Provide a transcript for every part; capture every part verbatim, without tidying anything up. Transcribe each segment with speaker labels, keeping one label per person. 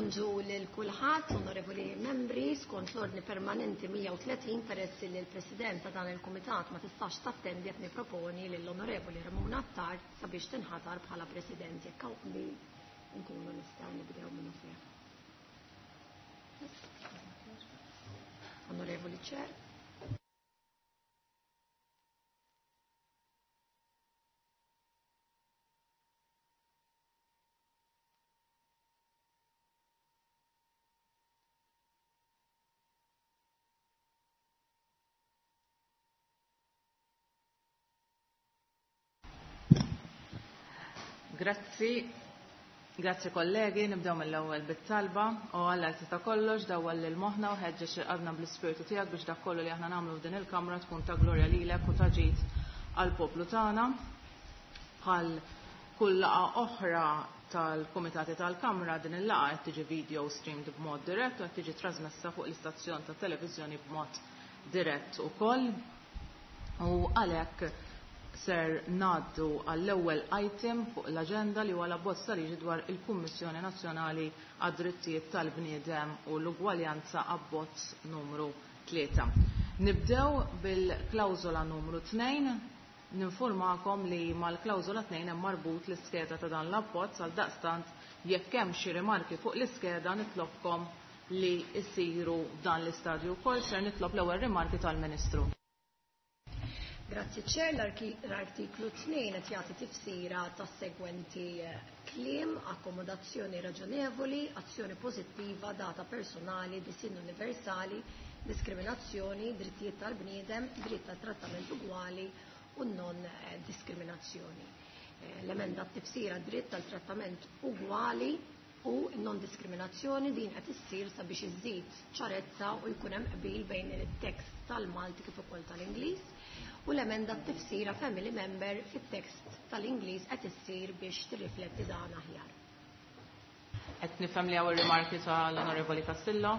Speaker 1: Bonġu lil kulħadd, onorevoli membri, skont l-ordni permanenti mija u tletin peress li l-President ta' dan il-Kumitat ma tistax tattendi qed nipproponi lill-Onorevoli Ramona Attard sabiex tinħatar bħala President jekk hawn qbil nkunu nistgħu nibdew minnu fih. Onorevoli Chair.
Speaker 2: Grazzi, grazzi kollegi, nibdew mill-ewwel bit-talba u Alla li ta' kollox dawwal lil moħħna u ħeġġeġ qalbna bl-ispirtu tiegħek biex dak kollu li aħna nagħmlu f'din il-kamra tkun ta' glorja lilek u ta' ġid għall-poplu tagħna. Bħal kull laqgħa oħra tal-kumitati tal-Kamra din il-laqgħa qed tiġi video streamed b'mod dirett u qed tiġi trasmessa fuq l-istazzjon tat-televiżjoni b'mod dirett ukoll. U għalhekk ser ngħaddu għall-ewwel item fuq l-aġenda li huwa l-abbozz ta' liġi dwar il-Kummissjoni Nazzjonali għad-Drittijiet tal-Bniedem u l-Ugwaljanza abbozz numru tlieta. Nibdew bil-klawżola numru tnejn. Ninformakom li mal-klawżola tnejn hemm marbut l-iskeda ta' dan l-abbozz għal daqstant jekk hemm xi rimarki fuq l-iskeda nitlobkom li jsiru f'dan l-istadju wkoll. Ser nitlob l-ewwel rimarki tal-Ministru.
Speaker 1: Grazzi Chair, l-artiklu tnejn qed jagħti tifsira tas-segwenti kliem: akkomodazzjoni raġonevoli, azzjoni pożittiva, data personali, disinn universali, diskriminazzjoni, drittijiet tal-bniedem, dritt tal trattament ugwali u non diskriminazzjoni. L-emenda tifsira dritt tal-trattament ugwali u non diskriminazzjoni din qed issir sabiex iżid ċarezza u jkun hemm qbil bejn it-tekst tal-Malti kif ukoll tal-Ingliż. U l-emenda t-tifsira family member fit-tekst tal-Ingliż qed issir biex tirrifletti dan aħjar.
Speaker 2: Qed nifhem li hawn ir-rimarki tal-Onorevoli Castillo.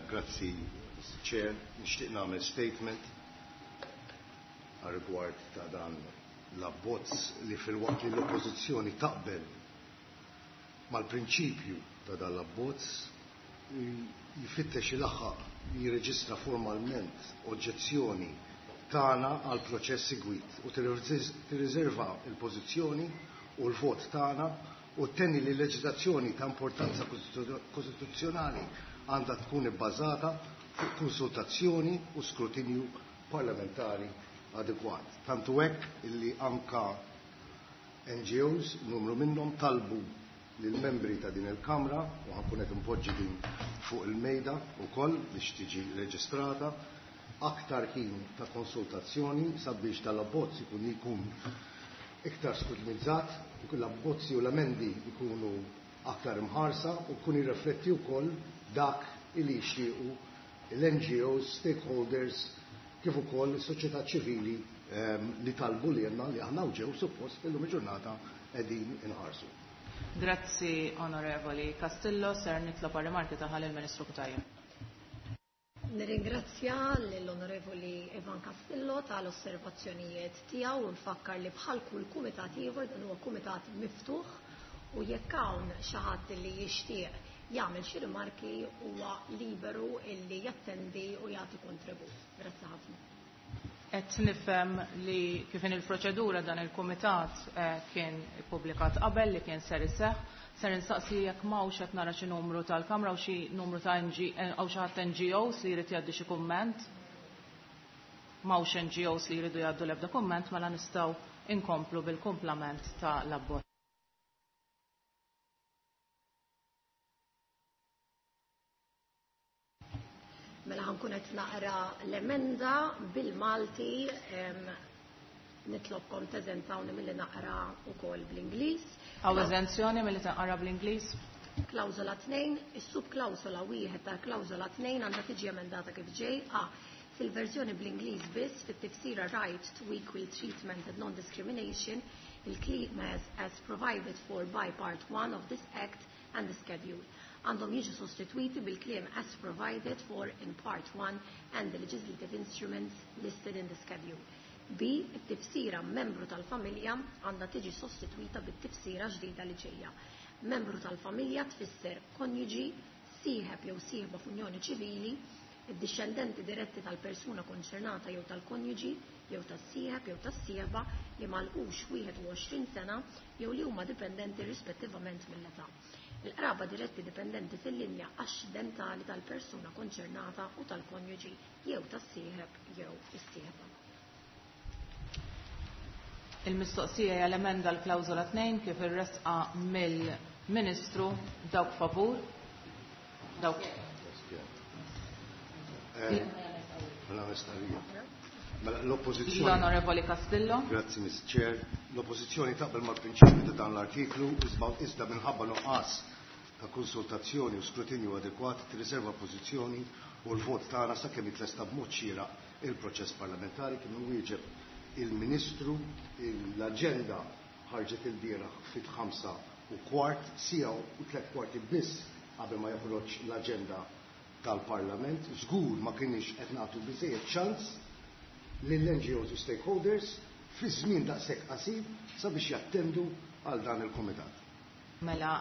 Speaker 3: Grazzi, Mister Chair. Nixtieq nagħmel statement għar-rigward ta' dan l-abbozz li filwaqt li l-Oppożizzjoni taqbel mal-prinċipju ta' dan l-abbozz jfittex ilaħħaq jirreġistra formalment oġġezzjoni tagħna għal proċess segwit u tirriserva l-pożizzjoni u l-vot tagħna u tenni li l-leġiżlazzjoni ta' importanza kostituzzjonali għandha tkun ibbażata fuq konsultazzjoni u skrutinju parlamentari adekwat. Tantu hekk illi anka N G Os, numru minnhom, talbu lill-membri ta' din il-Kamra u ħankun qed impoġġi din fuq il-mejda wkoll biex tiġi reġistrata aktar ħin ta' konsultazzjoni sabiex tal-abbozz ikun jkun iktar skrutinizzat, l-abbozzi u l-amendi jkunu aktar imħarsa u jkun jirrifletti wkoll dak li jixtiequ l-N G Os, stakeholders, kif ukoll is-soċjetà ċivili, ehm, li talbu lilna li aħna ġew suppost illum il-ġurnata qegħdin inħarsu.
Speaker 2: Grazzi, Onorevoli Castillo. Ser nitlob għar-rimarki tagħha lill-Ministru Cutajar.
Speaker 1: Nirringrazzja lill-Onorevoli Ivan Castillo tal-osservazzjonijiet tiegħu u nfakkar li bħal kull kumitat ieħor dan huwa kumitat miftuħ u jekk hawn xi ħadd li jixtieq jagħmel xi rimarki huwa liberu illi jattendi u jagħti kontribut. Grazzi ħafna.
Speaker 2: Qed nifhem li kif in il-proċedura dan il-kumitat, eh, kien ippubblikat qabel li kien ser iseħħ, ser insaqsi jekk m'hawnx qed nara xi numru tal-Kamra u xi numru ta' N G, eh, hawn xi ħadd N G Os li jrid jgħaddi xi kumment. M'hawnx N G Os li jridu jgħaddu l-ebda kumment, mela nistgħu inkomplu bil-kumplament ta' l-abbozz.
Speaker 1: Mela ħankun qed naqra l-emenda bil-Malti, em, nitlobkom teżentawni milli naqra wkoll bl-Ingliż.
Speaker 2: Hawn eżenzjoni milli tinqara bl-Ingliż?
Speaker 1: Klawżola tnejn, is-subklawżola wieħed tal-klawżola tnejn għandha tiġi emendata kif ġej. A. Fil-verżjoni bl-Ingliż biss, fit-tifsira right to equal treatment and non-discrimination, il-kliem as, as provided for by part one of this Act and the schedule għandhom jiġu sostitwiti bil-kliem as provided for in part one and the legislative instruments listed in the schedule. B. It-tifsira membru tal-familja għandha tiġi sostitwita bit-tifsira ġdida li ġejja. Membru tal-familja tfisser konjuġi, sieħeb jew sieħba f'unjoni ċivili, id-dixxendenti diretti tal-persuna konċernata jew tal-konjuġi jew tas-sieħeb jew tas-sieħba li malqux wieħed u għoxrin sena jew li huma dipendenti rispettivament mill-età. Il-qraba diretti dipendenti fil-linja axxidentali tal-persuna konċernata u tal-konjuġi jew tas-sieħeb jew is-sieħba.
Speaker 2: Il-mistoqsija hija l-emenda l-klawżola tnejn kif irresqa mill-Ministru. Dawk favur? Dawk.
Speaker 3: Mela, l-oppożizzjoni.
Speaker 2: L-Onorevoli Castillo.
Speaker 3: Grazzi, Miss Chair. L-oppożizzjoni taqbel mal-prinċipju ta' dan l-artiklu iżda minħabba nuqqas ta' konsultazzjoni u skrutinju adekwat tirriserva pożizzjoni u l-vot tagħna sakemm jitlesta b'mod xieraq il-proċess parlamentari. Kien wieġeb il-Ministru, l-aġenda ħarġet il-bieraħ fit-ħamsa u kwart, siegħa u tliet kwarti biss qabel ma joħroġ l-aġenda tal-Parlament. Żgur ma kienx qed nagħtu biżejjed ċans lill-N G Os u stakeholders fi żmien daqshekk qasir sabiex jattendu għal dan il-kumitat.
Speaker 2: Mela,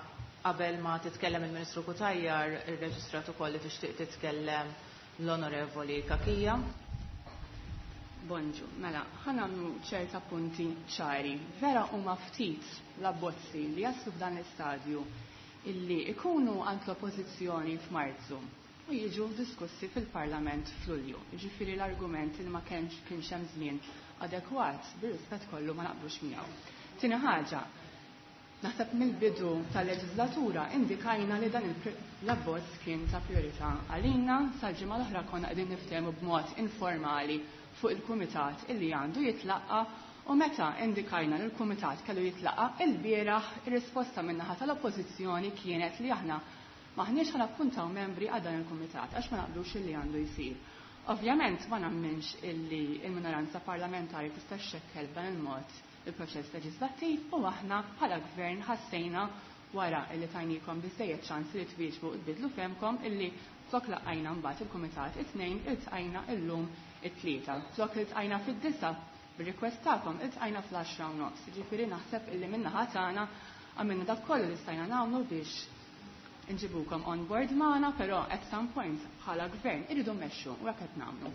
Speaker 2: qabel ma titkellem il-Ministru Cutajar, irreġistrat ukoll li tixtieq titkellem l-Onorevoli Cachia.
Speaker 4: Bonġu, mela, ħa nagħmlu ċerta punti ċari. Vera huma ftit l-abbozzi li jaslu f'dan l-istadju illi ikunu għand l-oppożizzjoni f'Marzu u jiġu diskussi fil-Parlament f'Lulju. Jiġifieri l-argument li ma kienx kienx hemm żmien adekwat, bir-rispett kollu ma naqblux miegħu. Tieni ħaġa, naħseb mill-bidu tal-leġislatura indikajna li dan l-abbozz kien ta' priorità għalina, sal-ġimgħa l-oħra konna qegħdin niftehmu b'mod informali fuq il-kumitat illi għandu jitlaqqa, u meta indikajna li l-kumitat kellu jitlaqqa il-bieraħ, ir-risposta min-naħa tal-oppożizzjoni kienet li aħna maħniex ħa nappuntaw membri għal dan il-kumitat għax ma naqblux illi għandu jsir. Ovvjament ma nemminx illi il-minoranza parlamentari tista' xxekkel b'dan il-mod il-proċess leġislattiv, u aħna bħala gvern ħassejna wara illi tajnikom biżejjed ċans li twieġbu u tbidlu femkom illi flok laqajna mbagħad il-kumitat it-tnejn iltqajna illum it-tlieta. Flok iltqajna fid-disa bir-request tagħkom iltqajna fl-għaxra u nofs. Jiġifieri naħseb illi min-naħa tagħna għamilna dak kollu li stajna nagħmlu biex nġibukom on board magħna, però at some point bħala gvern irridu mmexxu u hekk qed nagħmlu.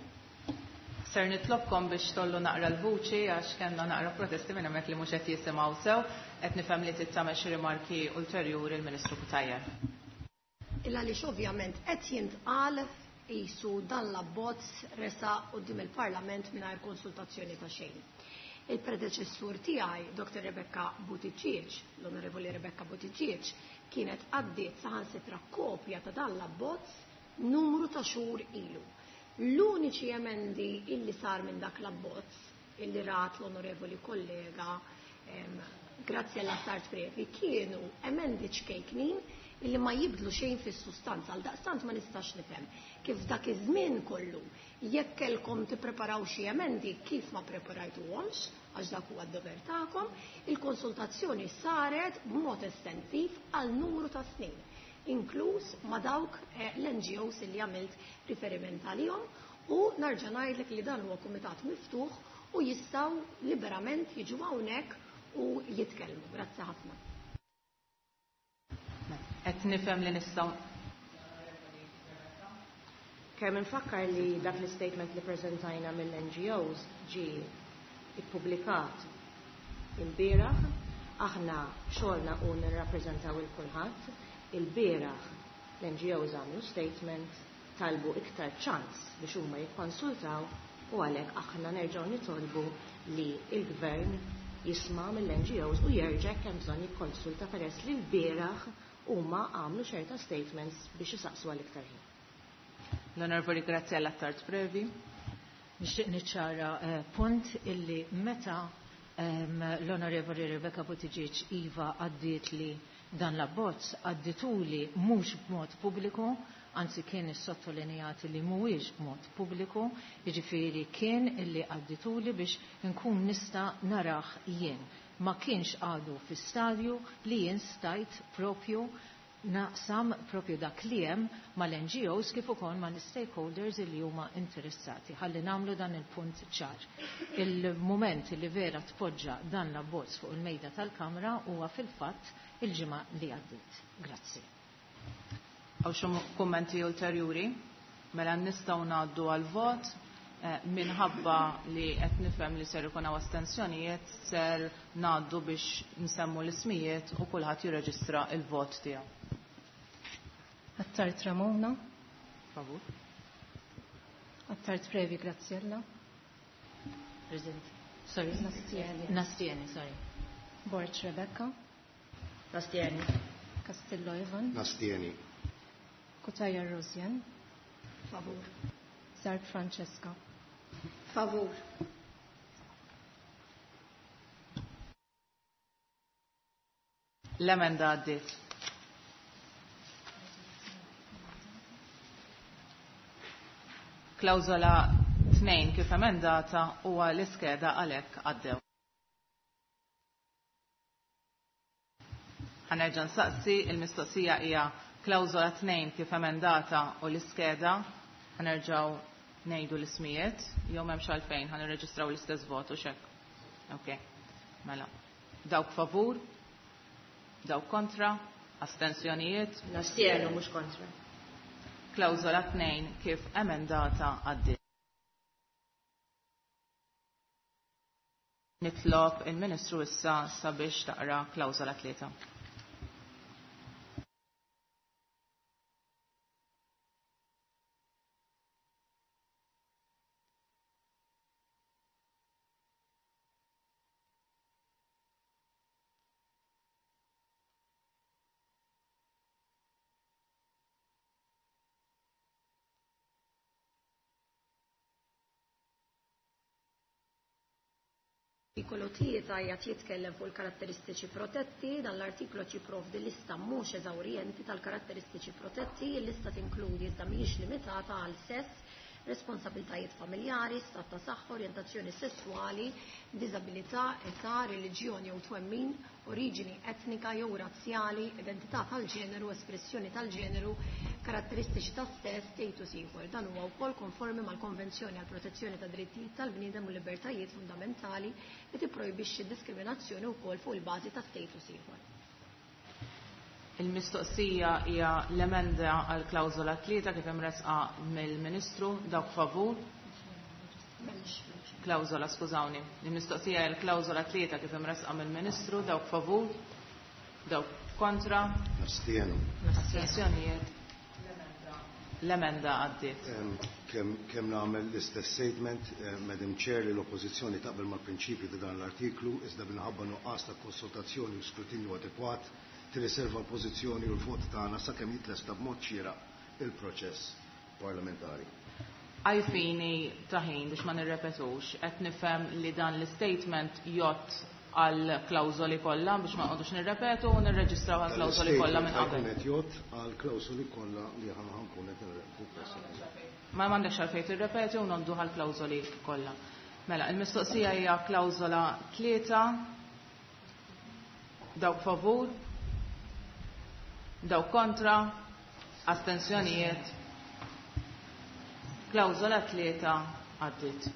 Speaker 2: Ser nitlobkom biex tollu naqra l-vuċi għax kellna naqra protesti minn hemmhekk li mhux qed jisimgħu sew, qed nifhem li trid tagħmel xi rimarki ulterjuri l-Ministru Cutajar.
Speaker 1: Illa għaliex ovvjament qed jintqal qisu dan l-abbozz resa quddiem il-Parlament mingħajr konsultazzjoni ta' xejn. Il-predeċessur tiegħi, Doktor Rebecca Buttigieg, l-Onorevoli Rebecca Buttigieg, kienet għaddiet saħansitra kopja ta' dan l-abbozz numru ta' xhur ilu. L-uniċi emendi illi sar minn dak l-abbozz illi rat l-onorevoli kollega, em, grazzi għall Attard Previ, kienu emendi ċkejknin illi ma jibdlu xejn fis-sustanza. Għal daqstant ma nistax nifhem kif dak iż-żmien kollu jekk kellkom tippreparaw xi emendi kif ma preparajtuhomx, għax dak huwa d-dover tagħkom. Il-konsultazzjoni saret b'mod estensiv għal numru ta' snin, inkluż ma' dawk, eh, l-N G Os illi għamilt riferiment għalihom, u nerġa' ngħidlek li dan huwa kumitat miftuħ u jistgħu liberament jiġu hawnhekk u jitkellmu. Grazzi ħafna.
Speaker 2: Qed nifhem li nistgħu
Speaker 5: Kemm infakkar li dak l-statement li preżentajna mill-N G Os ġie ippubblikat il-bieraħ, aħna xogħolna u nirrappreżentaw il kulħadd. Il-bieraħ l-N G Os għamlu statement, talbu iktar ċans biex huma jikkonsultaw, u għalhekk aħna nerġgħu nitolbu li l-gvern jisma' mill-N G Os u jerġa' hemm bżonn jikkonsulta peress li l-bieraħ huma għamlu ċerta statements biex isaqsu għal iktar ħin.
Speaker 2: L-Onorevoli Graziella Attard Previ.
Speaker 6: Nixtieq niċċara, eh, punt illi meta, ehm, l-Onorevoli Rebecca Buttigieg iva għaddiet li dan l-abbozz, għaddituli mhux b'mod pubbliku, anzi kien issottolineat li mhuwiex b'mod pubbliku, jiġifieri kien illi għaddituli biex nkun nista' narah jien. Ma kienx għadu fi stadju li jien stajt propju naqsam propju dak li hemm mal-N G Os kif ukoll mal-stakeholders li huma interessati. Ħalli nagħmlu dan il-punt ċar. Il-mument li vera tpoġġa dan l-abbozz fuq il-mejda tal-Kamra huwa fil-fatt il-ġimgħa li għaddiet. Grazzi.
Speaker 2: Għaw xi kummenti ulterjuri? Mela nistgħu ngħaddu għal-vot. Minħabba li qed nifhem li ser ikun hawn astensjonijiet, ser ngħaddu biex nsemmu l-ismijiet u kulħadd jirreġistra l-vot tiegħu.
Speaker 1: Attard Ramona.
Speaker 2: Favur.
Speaker 1: Attard Previ Graziella.
Speaker 6: Present. Sorry.
Speaker 1: Nastieni.
Speaker 6: Nastieni, sorry.
Speaker 1: Borg Rebecca.
Speaker 5: Nastieni.
Speaker 1: Castillo Ivan.
Speaker 3: Nastieni.
Speaker 1: Cutajar Rosianne. Favur. Zarb Francesca. Favur.
Speaker 2: L-emenda għaddiet. Klawżola tnejn kif emendata huwa l-iskeda għalhekk għaddew. Ħanerġa' nsaqsi, il-mistoqsija hija klawżola tnejn kif emendata u l-iskeda. Ħanerġgħu ngħidu l-ismijiet, jew m'hemmx għalfejn ħa nirreġistraw l-istess vot u x'hekk. Ok, mela. Dawk favur, dawk kontra, astensjonijiet.
Speaker 5: Nastienu mhux kontra.
Speaker 2: Klawżola tnejn kif emendata għaddiet. Nitlob il-Ministru issa sabiex taqra klawżola tlieta.
Speaker 1: Artikolu tlieta qiegħed jitkellem fuq il-karatteristiċi protetti, dan l-artiklu jipprovdi lista mhux eżawrjenti tal-karatteristiċi protetti, il-lista tinkludi iżda mhijiex limitata għal sess, responsabiltajiet familjari, stat ta' saħħa, orjentazzjoni sessuali, diżabilità, età, reliġjoni jew twemmin, oriġini etnika jew razzjali, identità tal-ġeneru, espressjoni tal-ġeneru, karatteristiċi tas-sess, status ieħor. Dan huwa wkoll konformi mal-Konvenzjoni għall Protezzjoni ta' Drittijiet tal-Bniedem u Libertajiet Fundamentali li tipprojbixxi d-diskriminazzjoni wkoll fuq il-bażi ta' status ieħor.
Speaker 2: Il-mistoqsija hija l-emenda għal klawżola tlieta kif imresqa mill-Ministru, dawk favur. Klawżola, skużawni. Il-mistoqsija hija l-klawżola tlieta kif imresqa mill-Ministru, dawk favur, dawk kontra.
Speaker 3: Nastienu.
Speaker 2: Astensjonijiet. L-emenda għaddiet.
Speaker 3: Kemm kemm nagħmel l-istess statement, Madam Chair, li l-Oppożizzjoni taqbel mal-prinċipju ta' dan l-artiklu, iżda minħabba nuqqas ta' konsultazzjoni u skrutinju adekwat tirriserva l-pożizzjoni u l-vot tagħna sakemm jitlesta b'mod xieraq il-proċess parlamentari.
Speaker 2: Għajfini ta' ħin biex ma nirrepetux, qed nifhem li dan l-statement jgħodd għal klawżoli kollha biex ma nqogħdux nirrepetu u nirreġistraw għal klawżoli kollha minn qabel.
Speaker 3: Qed jgħodd għal klawżoli kollha li aħna ħankun qed nirrepetu.
Speaker 2: Ma m'għandekx għalfejn tirrepeti u ngħoddu għal klawżoli kollha. Mela, il-mistoqsija hija klawżola tlieta, dawk favur, dawk kontra, astensjonijiet. Klawżola tlieta għaddiet.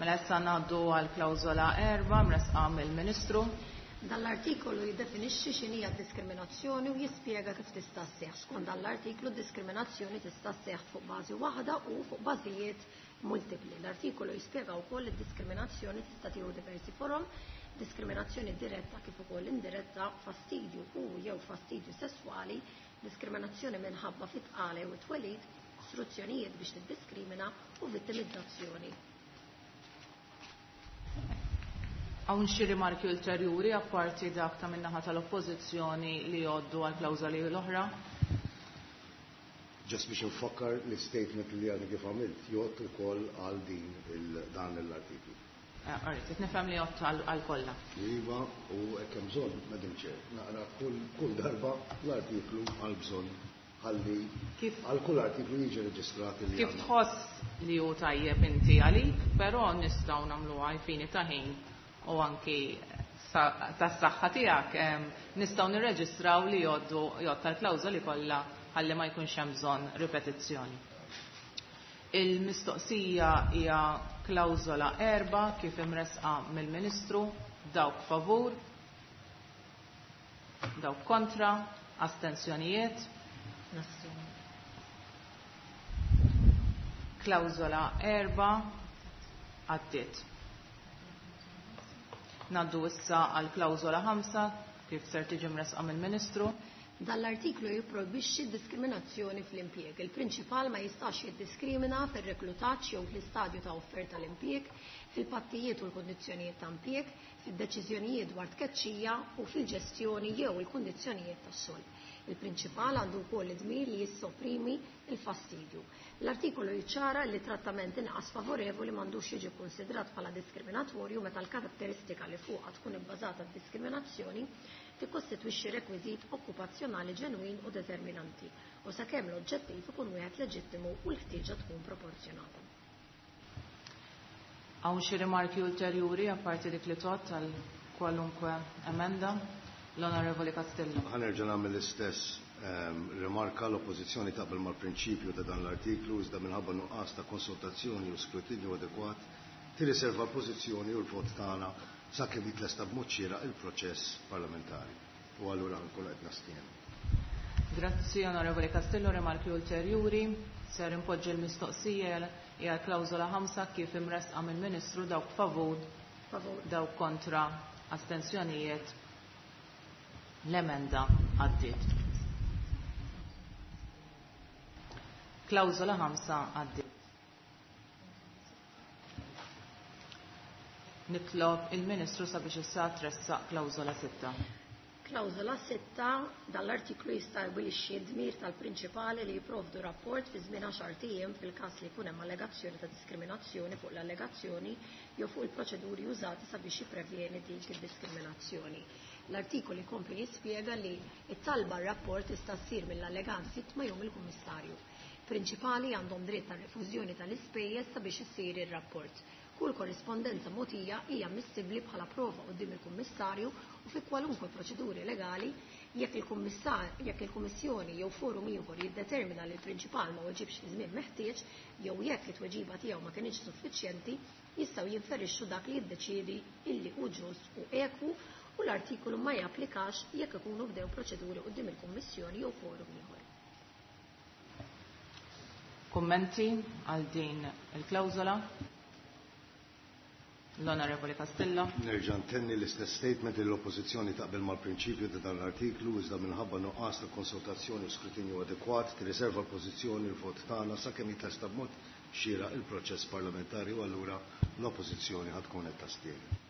Speaker 2: Mela issa ngħaddu għal klawżola erba' mresqa mill-Ministru.
Speaker 1: Dan l-artikolu jiddefinixxi x'inhi d-diskriminazzjoni u jispjega kif tista' sseħħ. Skont dan l-artiklu d-diskriminazzjoni tista' sseħħ fuq bażi waħda u fuq bażijiet multipli. L-artikolu jispjega wkoll li d-diskriminazzjoni tista' tieħu diversi forom, diskriminazzjoni diretta kif ukoll indiretta, fastidju u jew fastidju sesswali, diskriminazzjoni minħabba fit-tqala jew it-twelid, istruzzjonijiet biex tiddiskrimina u vittimizzazzjoni.
Speaker 2: Hawn xi rimarki ulterjuri apparti dak ta' min-naħa tal-Oppożizzjoni li jgħoddu għal klawżoli l-oħra?
Speaker 3: Ġast biex nfakkar l-statement li għadni kif għamilt jgħodd ukoll għal din dan l-artiklu.
Speaker 2: Alright, qed nifhem li jgħodd għal kollha.
Speaker 3: Iva, u hekk hemm bżonn, Madam Chair, naqra kull darba l-artiklu għal bżonn ħalli għal kull artiklu jiġi reġistrat li
Speaker 2: Kif tħoss li hu tajjeb inti għalik, però nistgħu nagħmluha għal fini ta' ħin u anki tas-saħħa tiegħek, nistgħu nirreġistraw li jgħoddu jgħod tal-klawżoli kollha ħalli ma jkunx hemm bżonn ripetizzjoni. Il-mistoqsija hija klawżola erba' kif imresqa mill-Ministru, dawk favur, dawk kontra, astensjonijiet. Klawżola erba' għaddiet. Naddu issa għal klawżola ħamsa kif ser tiġi mresqa mill-Ministru.
Speaker 1: Dan l-artiklu jipprojbixxi diskriminazzjoni fl-impjieg. Il-prinċipal ma jistax jiddiskrimina fir-reklutaġġ jew fl-istadju ta' offerta l-impjieg, fil-pattijiet u l-kundizzjonijiet ta' impjieg, fid-deċiżjonijiet dwar tkeċċija u fil-ġestjoni jew il-kundizzjonijiet tax-xogħol. Il-prinċipal għandu wkoll id-dmir li jissoprimi il-fastidju. L-artikolu jiċċara li trattament inqas favorevoli m'għandux jiġi konsidrat bħala diskriminatorju meta l-karatteristika li fuqha tkun ibbażata d-diskriminazzjoni tikkostitwixxi rekwiżit okkupazzjonali ġenwin u determinanti u sakemm l-oġġettiv ikun wieħed leġittimu u l-ħtieġa tkun proporzjonata.
Speaker 2: Hawn xi rimarki ulterjuri apparti dik li tgħodd għal kwalunkwe emenda? L-Onorevoli Castillo.
Speaker 3: Ħa nerġa' nagħmel l-istess ehm, rimarka. L-oppożizzjoni taqbel mal-prinċipju ta' dan l-artiklu iżda minħabba nuqqas ta' konsultazzjoni u skrutinju adekwat tirriserva l-pożizzjoni u l-vot tagħna sakemm jitlesta b'mod xieraq il-proċess parlamentari. U allura nkun qed nastienu.
Speaker 2: Grazzi Onorevoli Castillo, rimarki ulterjuri. Ser impoġġi l-mistoqsija hija klawżola ħamsa kif imresqa mill-Ministru, dawk favur,
Speaker 1: favur,
Speaker 2: dawk kontra, astensjonijiet. L-emenda għaddiet. Klawżola ħamsa għaddiet. Nitlob il-Ministru sabiex issa tressaq klawżola sitta.
Speaker 1: Klawżola sitta, dan l-artiklu jistabbilixxi d-dmir tal-prinċipali li jipprovdu rapport fi żmien għaxar ijiem fil-każ li jkun hemm allegazzjoni ta' diskriminazzjoni fuq l-allegazzjoni jew fuq il-proċeduri użati sabiex jipprevjeni dik id-diskriminazzjoni. L-artikolu jkompli jispjega li t-talba r-rapport tista' ssir mill-allegant vittma jew mill-kummissarju. Prinċipali għandhom dritt tar-refużjoni tal-ispejjeż sabiex issir ir-rapport. Kull korrispondenza mogħtija hija ammissibbli bħala prova quddiem il-kummissarju u fi kwalunkwe proċeduri legali jekk il-kummissar, jekk il-kummissjoni jew forum ieħor jiddetermina li l-prinċipal ma weġibx fi żmien meħtieġ jew jekk it-tweġiba tiegħu ma kinitx suffiċjenti, jistgħu jinferixxu dak li jiddeċiedi illi hu ġust u ekwu u l-artikolu ma japplikax jekk ikunu bdew proċeduri quddiem il-kummissjoni jew forum ieħor.
Speaker 2: Kummenti għal din il-klawżola? L-Onorevoli Castillo.
Speaker 3: Nerġa' ntenni l-istess statement li l-Oppożizzjoni taqbel mal-prinċipju ta' dan l-artiklu iżda minħabba nuqqas ta' konsultazzjoni u skrutinju adekwat tirriserva l-pożizzjoni u l-vot tagħna sakemm jitlesta b'mod xieraq il-proċess parlamentari u allura l-Oppożizzjoni ħad tkun qed tastieni.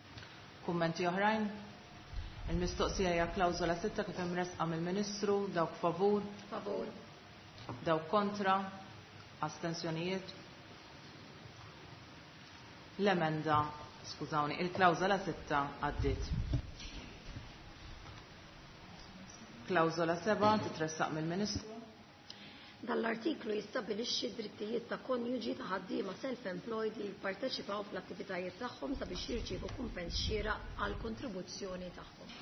Speaker 2: Kummenti oħrajn? Il-mistoqsija hija klawżola sitta kif imresqa mill-Ministru, dawk favur,
Speaker 1: Favur.
Speaker 2: dawk kontra, astensjonijiet. L-emenda, skużawni, il-klawżola sitta għaddiet. Klawżola seba' titressaq mill-Ministru.
Speaker 1: Dan l-artiklu jistabbilixxi drittijiet ta' konjuġi ta' ħaddiema self-employed li jipparteċipaw fl-attivitajiet tagħhom sabiex jirċievu kumpens xieraq għal kontribuzzjoni tagħhom.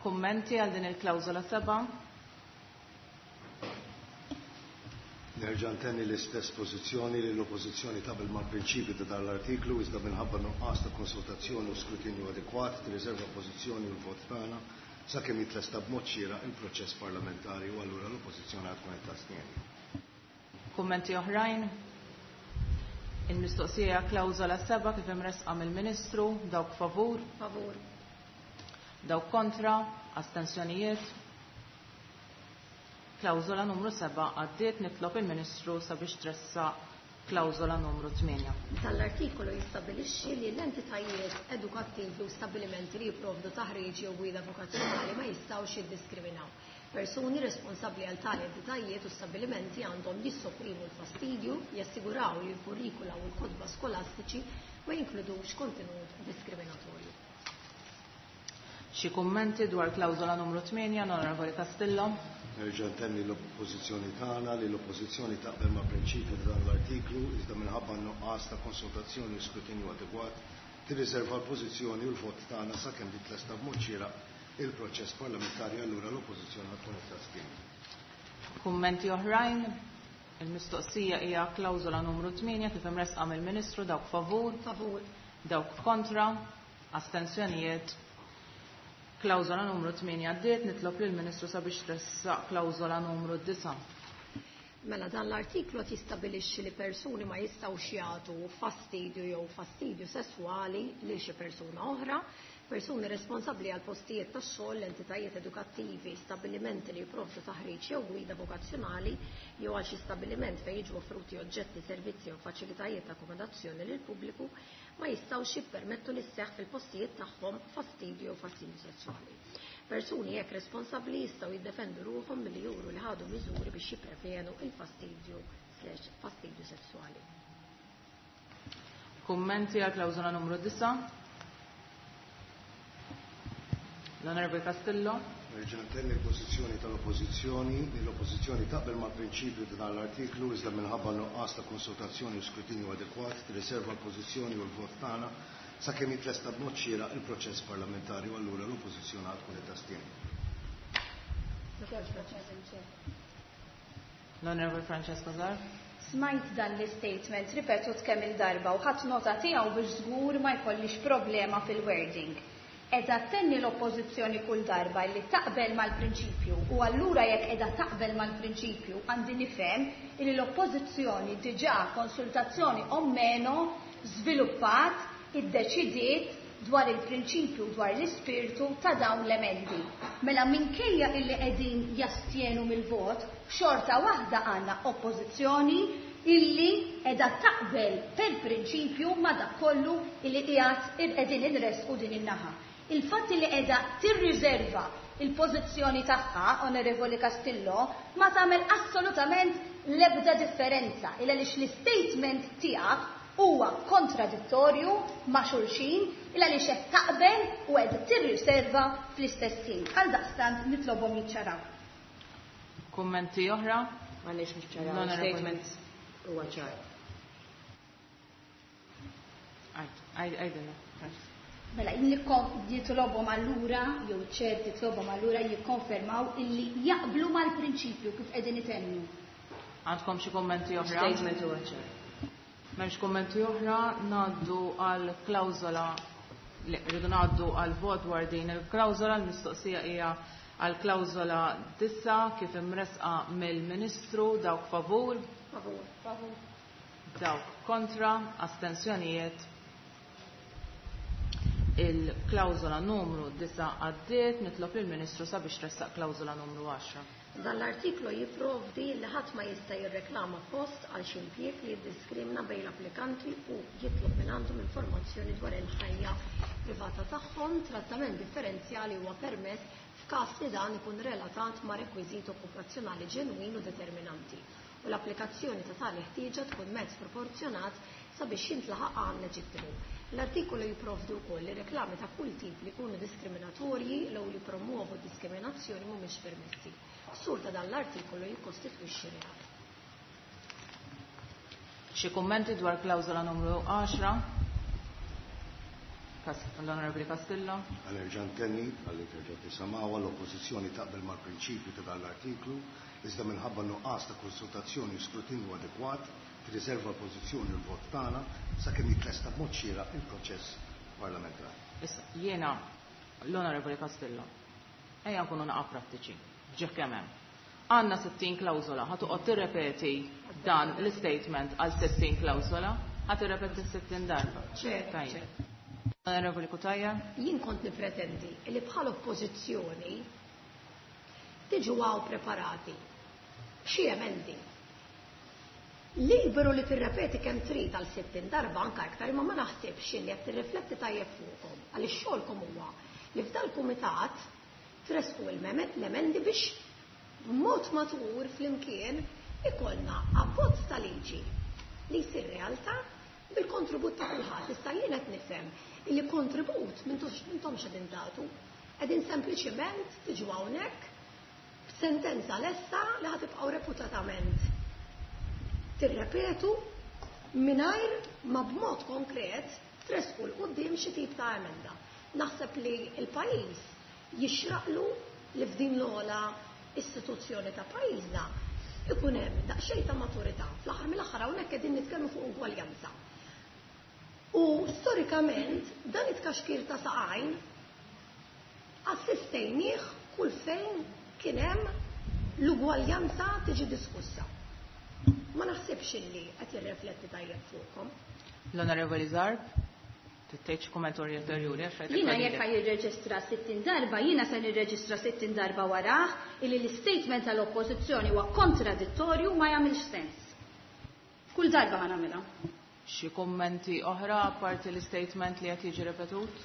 Speaker 2: Kummenti għal din il-klawżola seba'?
Speaker 3: Nerġa' ntenni l-istess pożizzjoni li l-Oppożizzjoni taqbel mal-prinċipju ta' dan l-artiklu iżda minħabba nuqqas ta' konsultazzjoni u skrutinju adekwat tirriserva pożizzjoni u l-vot tagħna sakemm jitlesta b'mod xieraq il-proċess parlamentari u allura l-Oppożizzjoni għad tkun qed tastieni.
Speaker 2: Kummenti oħrajn? Il-mistoqsija klawżola seba' kif imresqa mill-Ministru, dawk favur,
Speaker 1: Favur.
Speaker 2: dawk kontra, astensjonijiet. Klawżola numru seba' għaddiet. Nitlob il-Ministru sabiex tressaq klawżola numru tmienja.
Speaker 1: Dan l-artikolu jistabbilixxi li l-entitajiet edukattivi u stabbilimenti li jipprovdu taħriġ jew gwida vokazzjonali ma jistgħux jiddiskriminaw. Persuni responsabbli għal tali entitajiet u stabbilimenti għandhom jissoprimu l-fastidju, jassiguraw li l-kurrikula u l-kotba skolastiċi ma jinkludux kontenut diskriminatorju.
Speaker 2: Xi kummenti dwar klawżola numru tmienja, Onorevoli Castillo?
Speaker 3: Nerġa' ntenni l-oppożizzjoni tagħna li l-oppożizzjoni taqbel mal-prinċipju ta' dan l-artiklu iżda minħabba nuqqas ta' konsultazzjoni u skrutinju adekwat tirriserva l-pożizzjoni u l-vot tagħna sakemm titlesta b'mod xieraq il-proċess parlamentari, allura l-Oppożizzjoni ħa tkun qed tastjeni.
Speaker 2: Kummenti oħrajn? Il-mistoqsija hija klawżola numru tmienja kif imressqa mill-Ministru. Dawk favur?
Speaker 1: Favur.
Speaker 2: Dawk kontra? Astensjonijiet? Klawżola numru tmienja għaddiet. Nitlob lill-Ministru sabiex tressaq klawżola numru disa'.
Speaker 1: Mela dan l-artiklu qed jistabilixxi li persuni ma jistgħux jagħtu fastidju jew fastidju sesswali lil xi persuna oħra. Persuni responsabbli għal postijiet tax-xogħol, entitajiet edukattivi, stabbilimenti li jipprovdu taħriġ jew gwida vokazzjonali jew għal xi stabbiliment fejn jiġu offruti oġġetti, servizzi jew faċilitajiet ta' akkomodazzjoni lil pubbliku ma jistgħux jippermettu li sseħħ fil-postijiet tagħhom fastidju jew fastidju sesswali. Persuni hekk responsabbli jistgħu jiddefendu ruħhom milli juru li ħadu miżuri biex jipprevenu il-fastidju slash fastidju sesswali.
Speaker 2: Kummenti għal klawżola numru disa'? L-Onorevoli Castillo.
Speaker 3: Nerġa' ntenni l-pożizzjoni tal-Oppożizzjoni li l-Oppożizzjoni taqbel mal-prinċipju ta' dan l-artiklu, iżda minħabba nuqqas ta' konsultazzjoni u skrutinju adekwat tirriserva l-pożizzjoni u l-vot tagħna sakemm jitlesta b'mod xieraq il-proċess parlamentari, u allura l-Oppożizzjoni għad tkun qed tastjeni.
Speaker 2: L-Onorevoli Francesca Zarb.
Speaker 7: Smajt dan l-statement ripetut kemm il-darba u ħadd nota tiegħu biex żgur ma jkollix problema fil-wording. Edha tenni l-oppożizzjoni kull darba li taqbel mal-prinċipju, u allura jekk edha taqbel mal-prinċipju għandi nifhem li l-oppożizzjoni diġà konsultazzjoni o meno żviluppat, iddeċidiet dwar il-prinċipju, dwar l-ispirtu ta' dawn l-emendi. Mela minkejja illi qegħdin jastjenu mill-vot, xorta waħda għandna oppożizzjoni illi edha taqbel per prinċipju ma dak kollu illi qiegħed qegħdin inresqu din in-naħa. Il-fatt li qiegħda tirriserva il-pożizzjoni tagħha, Onorevoli Castillo, ma tagħmel assolutament l-ebda differenza il għaliex l-istatement tiegħek huwa kontradittorju ma' xulxin, il għaliex qed taqbel u qed tirriserva fl-istess ħin. Għal daqstant nitlobhom jiċċaraw.
Speaker 2: Kummenti oħra?
Speaker 5: M'għandniex niċċaraw. Statement huwa ċar.
Speaker 2: Għajdilna.
Speaker 7: Mela, jitlobhom allura, jew ċert jitlobhom allura jikkonfermaw illi jaqblu mal-prinċipju kif qegħdin itennu.
Speaker 2: Għandkom xi kummenti oħra?
Speaker 5: Statement huwa ċar.
Speaker 2: M'hemmx kummenti oħra, ngħaddu għal klawżola li rridu ngħaddu għal vot dwar din il-klawżola. L-mistoqsija hija għal klawżola disa kif imresqa mill-Ministru. Dawk favur?
Speaker 1: Favur.
Speaker 7: Favur.
Speaker 2: Dawk kontra? Astensjonijiet? Il-klawżola numru disa għaddiet. Nitlob lill-Ministru sabiex tressaq klawżola numru għaxra.
Speaker 1: Dan l-artiklu jipprovdi li ħadd ma jista' jirreklama post għal xi impjieg li jiddiskrimina bejn l-applikanti u jitlob minn għandhom informazzjoni dwar il-ħajja privata tagħhom. Trattament differenzjali huwa permess f'każ li dan ikun relatat ma' rekwiżit okkupazzjonali ġenwin u determinanti, u l-applikazzjoni ta' tali ħtieġa tkun mezz proporzjonat sabiex jintlaħaq għan leġittimu. L-artikolu jipprovdi wkoll li reklami ta' kull tip li jkunu diskriminatorji jew li promuovu diskriminazzjoni mhumiex permessi. Ksur ta' dan l-artikolu jikkostitwixxi reat.
Speaker 2: Xi kummenti dwar klawżola numru għaxra? L-Onorevoli Castillo.
Speaker 3: Għalerġa' ntenni, għalli terġa' tisimgħuha, l-Oppożizzjoni taqbel mal-prinċipju ta' dan l-artiklu, iżda minħabba nuqqas ta' konsultazzjoni u skrutinju adekwat tirriserva l-pożizzjoni u l-vot tagħna sakemm jitlesta b'mod xieraq il-proċess parlamentari.
Speaker 2: Issa jiena l-Onorevoli Castillo, ejja nkunu naqa' prattiċi, ġieħ kemm hemm. Għandna sittin klawżola, ħa toqgħod tirrepeti dan l-statement għal sittin klawżola, ħa tirrepeti sittin darba.
Speaker 1: Ċert.
Speaker 2: Onorevoli Cutajar.
Speaker 1: Jien kont nipretendi li bħal oppożizzjoni tiġu għaw preparati xi emendi. Liberu li tirrepeti kemm trid għal sittin darba anke iktar, imma ma naħsibx li qed tirrifletti tajjeb fuqhom, għaliex xogħolkom huwa li f'dal-kumitat tresqu l-emendi biex b'mod matur flimkien ikollna abbozz ta' liġi li jsir realtà bil-kontribut ta' kulħadd. Issa jien qed nifhem li kontribut m'intomx qegħdin tagħtu, qegħdin sempliċement tiġu hawnhekk b'sentenza lesta li ħatibqgħu reputatament tirrepetu mingħajr ma b'mod konkret Tressqu 'l quddiem xi tip ta' emenda. Naħseb li l-pajjiż jixraqlu li f'din l-ogħla istituzzjoni ta' pajjiżna ikun hemm daqsxejn ta' maturità. Fl-aħħar mill-aħħar hawnhekk qegħdin nitkellmu fuq ugwaljanza. U storikament dan it-tkaxkir ta' saqajn assistejnieh kull fejn kien hemm l-ugwaljanza tiġi diskussa. Ma naħsibx illi qed jirrifletti tajjeb fuqkom.
Speaker 2: L-Onorevoli Zarb, tgħid xi kumment ulterjuri għax rajtek
Speaker 7: Jiena
Speaker 2: għadilek.
Speaker 7: jekk jirreġistra sittin darba, jiena se nirreġistra sittin darba warah illi l-istatement tal-Oppożizzjoni huwa kontradittorju, ma jagħmilx sens. Kull darba ħa nagħmilha.
Speaker 2: Xi kummenti oħra apparti l-istatement li qed jiġi ripetut?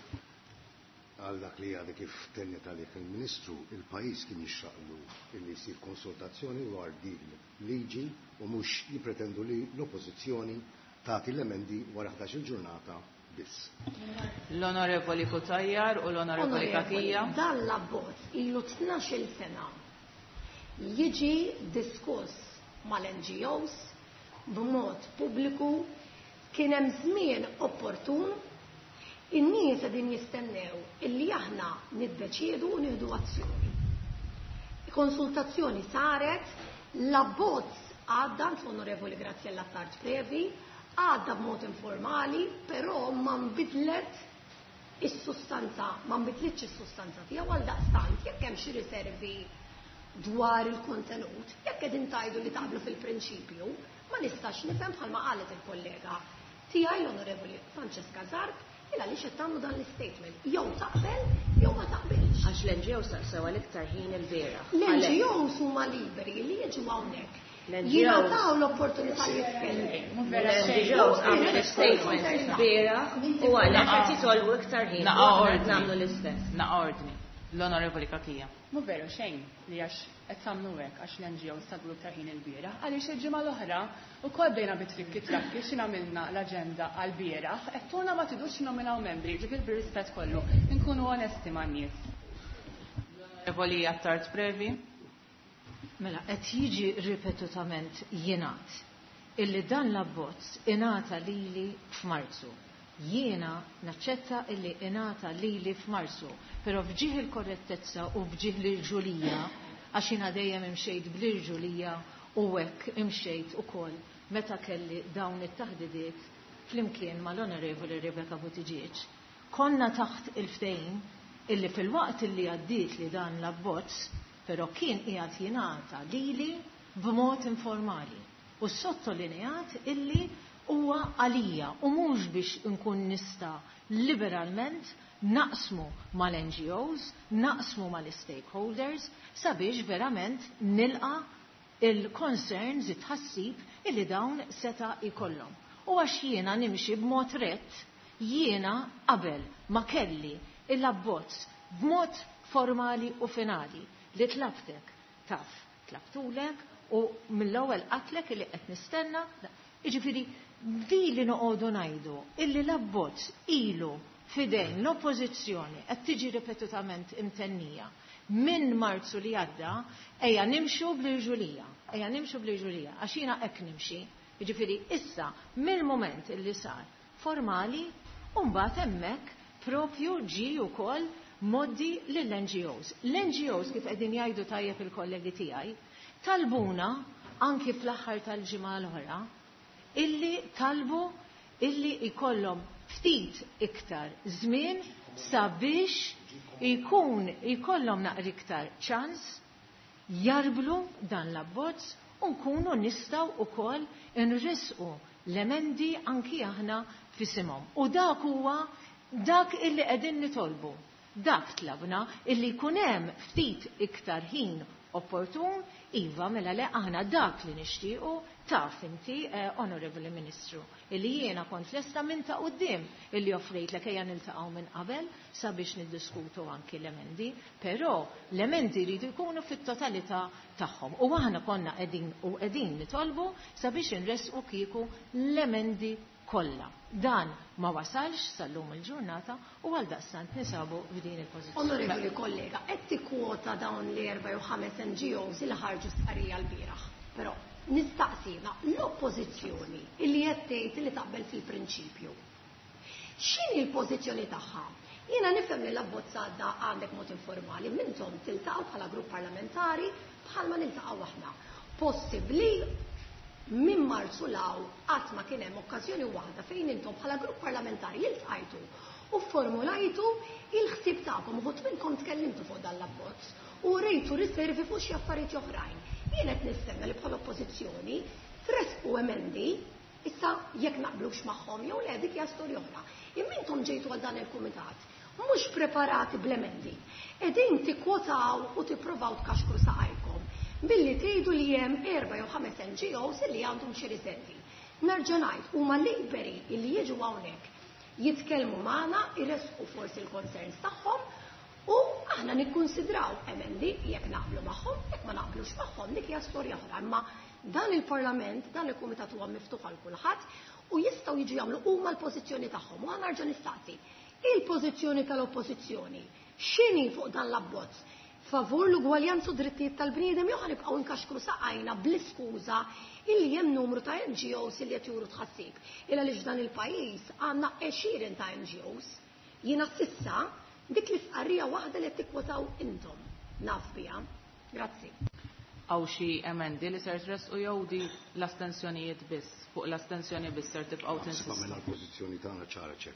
Speaker 3: Għal dak li għadha kif tennet għalih il-Ministru, il-pajjiż kien jixraqlu illi jsir konsultazzjoni dwar din liġi u mhux jippretendu li l-Oppożizzjoni tagħti l-emendi wara ħdax-il ġurnata biss.
Speaker 2: L-Onorevoli Cutajar u l-Onorevoli
Speaker 1: Onorevoli,
Speaker 2: Cachia.
Speaker 1: Dan l-abbozz ilu tnax-il sena jiġi diskuss mal-N G Os b'mod pubbliku, kien hemm żmien opportun, in-nies qegħdin jistennew illi aħna niddeċiedu u nieħdu azzjoni. Konsultazzjoni saret, l-abbozz għadda l-Onorevoli Graziella Attard Previ, għadda b'mod informali, però ma nbidlet is-sustanza, ma nbidlitx is-sustanza tiegħu. Għal daqstant, jekk hemm xi riservi dwar il-kontenut, jekk qegħdin tgħidu li taqblu fil-prinċipju, ma nistax nifhem bħalma qalet il-kollega tiegħi l-Onorevoli Francesca Zarb, il għaliex qed tagħmlu dan l-istatement. Jew taqbel, jew ma taqbilx.
Speaker 5: Għax l-N G Os saqsew għal iktar ħin il-bieraħ.
Speaker 1: L-N G Os huma liberi li jiġu hawnhekk.
Speaker 5: L-N G Os
Speaker 1: Jingħataw l-opportunità li jitkellmu.
Speaker 5: L-N G Os għamlu statement il-bieraħ u għalhekk qed jitolbu iktar ħin.
Speaker 2: Naqa'
Speaker 5: U aħna
Speaker 2: ordni.
Speaker 5: nagħmlu l-istess.
Speaker 2: Naqa' ordni. L-Onorevoli Cachia.
Speaker 4: Mhu veru xejn li għax qed tagħmlu hekk għax l-N G Os talbu iktar ħin il-bieraħ, għaliex il-ġimgħa l-oħra wkoll bdejna bit-trikki trakki xi għamilna l-aġenda għall-bieraħ, qed tuna ma tidux nominaw membri, ġifieri bir-rispett kollu, inkunu onesti man-nies.
Speaker 2: L-Onorevoli Attard Previ.
Speaker 6: Mela, qed jiġi ripetutament jingħad illi dan l-abbozz ingħata lili f'Marzu. Jiena naċċetta illi ingħata lili f'Marzu, però f'ġieħ il-korrettezza u f'ġieħ l-irġulija, għax jiena dejjem imxejt bl-irġulija u hekk imxejt ukoll meta kelli dawn it-taħdidiet flimkien mal-Onorevoli Rebecca Buttigieg. Konna taħt il-ftehim illi fil-waqt illi għaddiet li dan l-abbozz, però kien qiegħed jingħata lili b'mod informali u sottolineat illi huwa għalija u mhux biex nkun nista' liberalment naqsmu mal-N G Os, naqsmu mal-stakeholders sabiex verament nilqa il-concerns, it-tħassib illi dawn seta' jkollhom. U għax jiena nimxi b'mod rett, jiena qabel ma kelli il-abbozz b'mod formali u finali li tlabtek taf, tlabtulek u mill-ewwel qatlek illi qed nistenna. Jiġifieri di li noqogħdu ngħidu illi l-abbozz ilu fidejn l-oppożizzjoni qed tiġi ripetutament imtennija minn Marzu li għadda, ejja nimxu bl-irġulija, ejja nimxu bl-irġulija, għax jiena hekk nimxi. Jiġifieri issa mill-moment illi sar formali, u mbagħad hemmhekk propju ġie wkoll moddi lill-N G Os. L-N G Os kif qegħdin jgħidu tajjeb il-kollegi tiegħi, talbuna anki fl-aħħar tal-ġimgħa l-oħra illi talbu illi jkollhom ftit iktar żmien sabiex ikun jkollhom naqra iktar ċans jarblu dan l-abbozz u nkunu nistgħu wkoll nrisqu l-emendi anki aħna fisimhom. U dak huwa dak illi qegħdin nitolbu. Dak tlabna illi jkun hemm ftit iktar ħin opportun, iva mela le aħna dak li nixtiequ taf inti, eh, Honorable Ministru, illi jiena kont lesta minn ta' quddiem illi offrejtlek ejja niltaqgħu minn qabel sabiex niddiskutu anki l-emendi, però l-emendi jridu jkunu fit-totalità tagħhom. U aħna konna qegħdin u qegħdin nitolbu sabiex inresqu kieku l-emendi kollha. Dan ma wasalx sal-lum il-ġurnata u għal daqstant nisabu f'din il-pożizzjoni.
Speaker 1: Onorevoli kollega, qed tikkwota dawn l-erba' jew ħames N G Os li ħarġu stqarrija l-bieraħ. Però nistaqsina l-oppożizzjoni illi qed tgħid li taqbel fil-prinċipju. X'inhi l-pożizzjoni tagħha? Jiena nifhem li l-abbozz għadda għandek mod informali, minnhom tiltaqgħu bħala grupp parlamentari bħalma niltaqgħu aħna. Possibbli minn Marzu law qatt ma kien hemm okkażjoni waħda fejn intom bħala grupp parlamentari iltqajtu u formulajtu il-ħsieb tagħkom, uħud minnkom tkellimtu fuq dan l-abbozz u rejtu riservi fuq xi affarijiet oħrajn. Jien qed nistenna li bħala oppożizzjoni tresqu emendi, issa jekk naqblux magħhom jew le dik hija storja oħra. Imma intom ġejtu għal dan il-kumitat mhux preparati bl-emendi. Qegħdin tikkwotaw u tippruvaw tkaxkru saqajkom billi tgħidu li hemm erba' jew ħames N G Os li għandhom xi riservi. Nerġa' ngħid huma liberi li jiġu hawnhekk jitkellmu magħna, iressqu forsi l-concerns tagħhom u aħna nikkunsidraw emendi jekk naqblu magħhom, jekk ma naqblux magħhom dik hija storja oħra. Imma dan il-Parlament, dan il-Kumitat huwa miftuħ għal kulħadd u jistgħu jiġu jagħmlu huma l-pożizzjoni tagħhom. U aħna nerġa' nistaqsi, il-pożizzjoni tal-oppożizzjoni x'inhi fuq dan l-abbozz? Favur l-ugwaljanza u drittijiet tal-bniedem jew ħanibqgħu nkaxkru saqajna bl-iskuża illi hemm numru ta' N G Os illi qed juru tħassib. Illa għaliex dan il-pajjiż għandna għexieren ta' N G Os. Jiena sissa dik l-istqarrija waħda li qed tikkwotaw intom naf biha. Grazzi.
Speaker 2: Hawn xi emendi li ser tressqu jew di l-astensjonijiet biss, fuq l-astensjoni biss ser tibqgħu
Speaker 3: Naħseb
Speaker 2: tinsistu?
Speaker 3: għamilna l-pożizzjoni tagħna ċara ċer.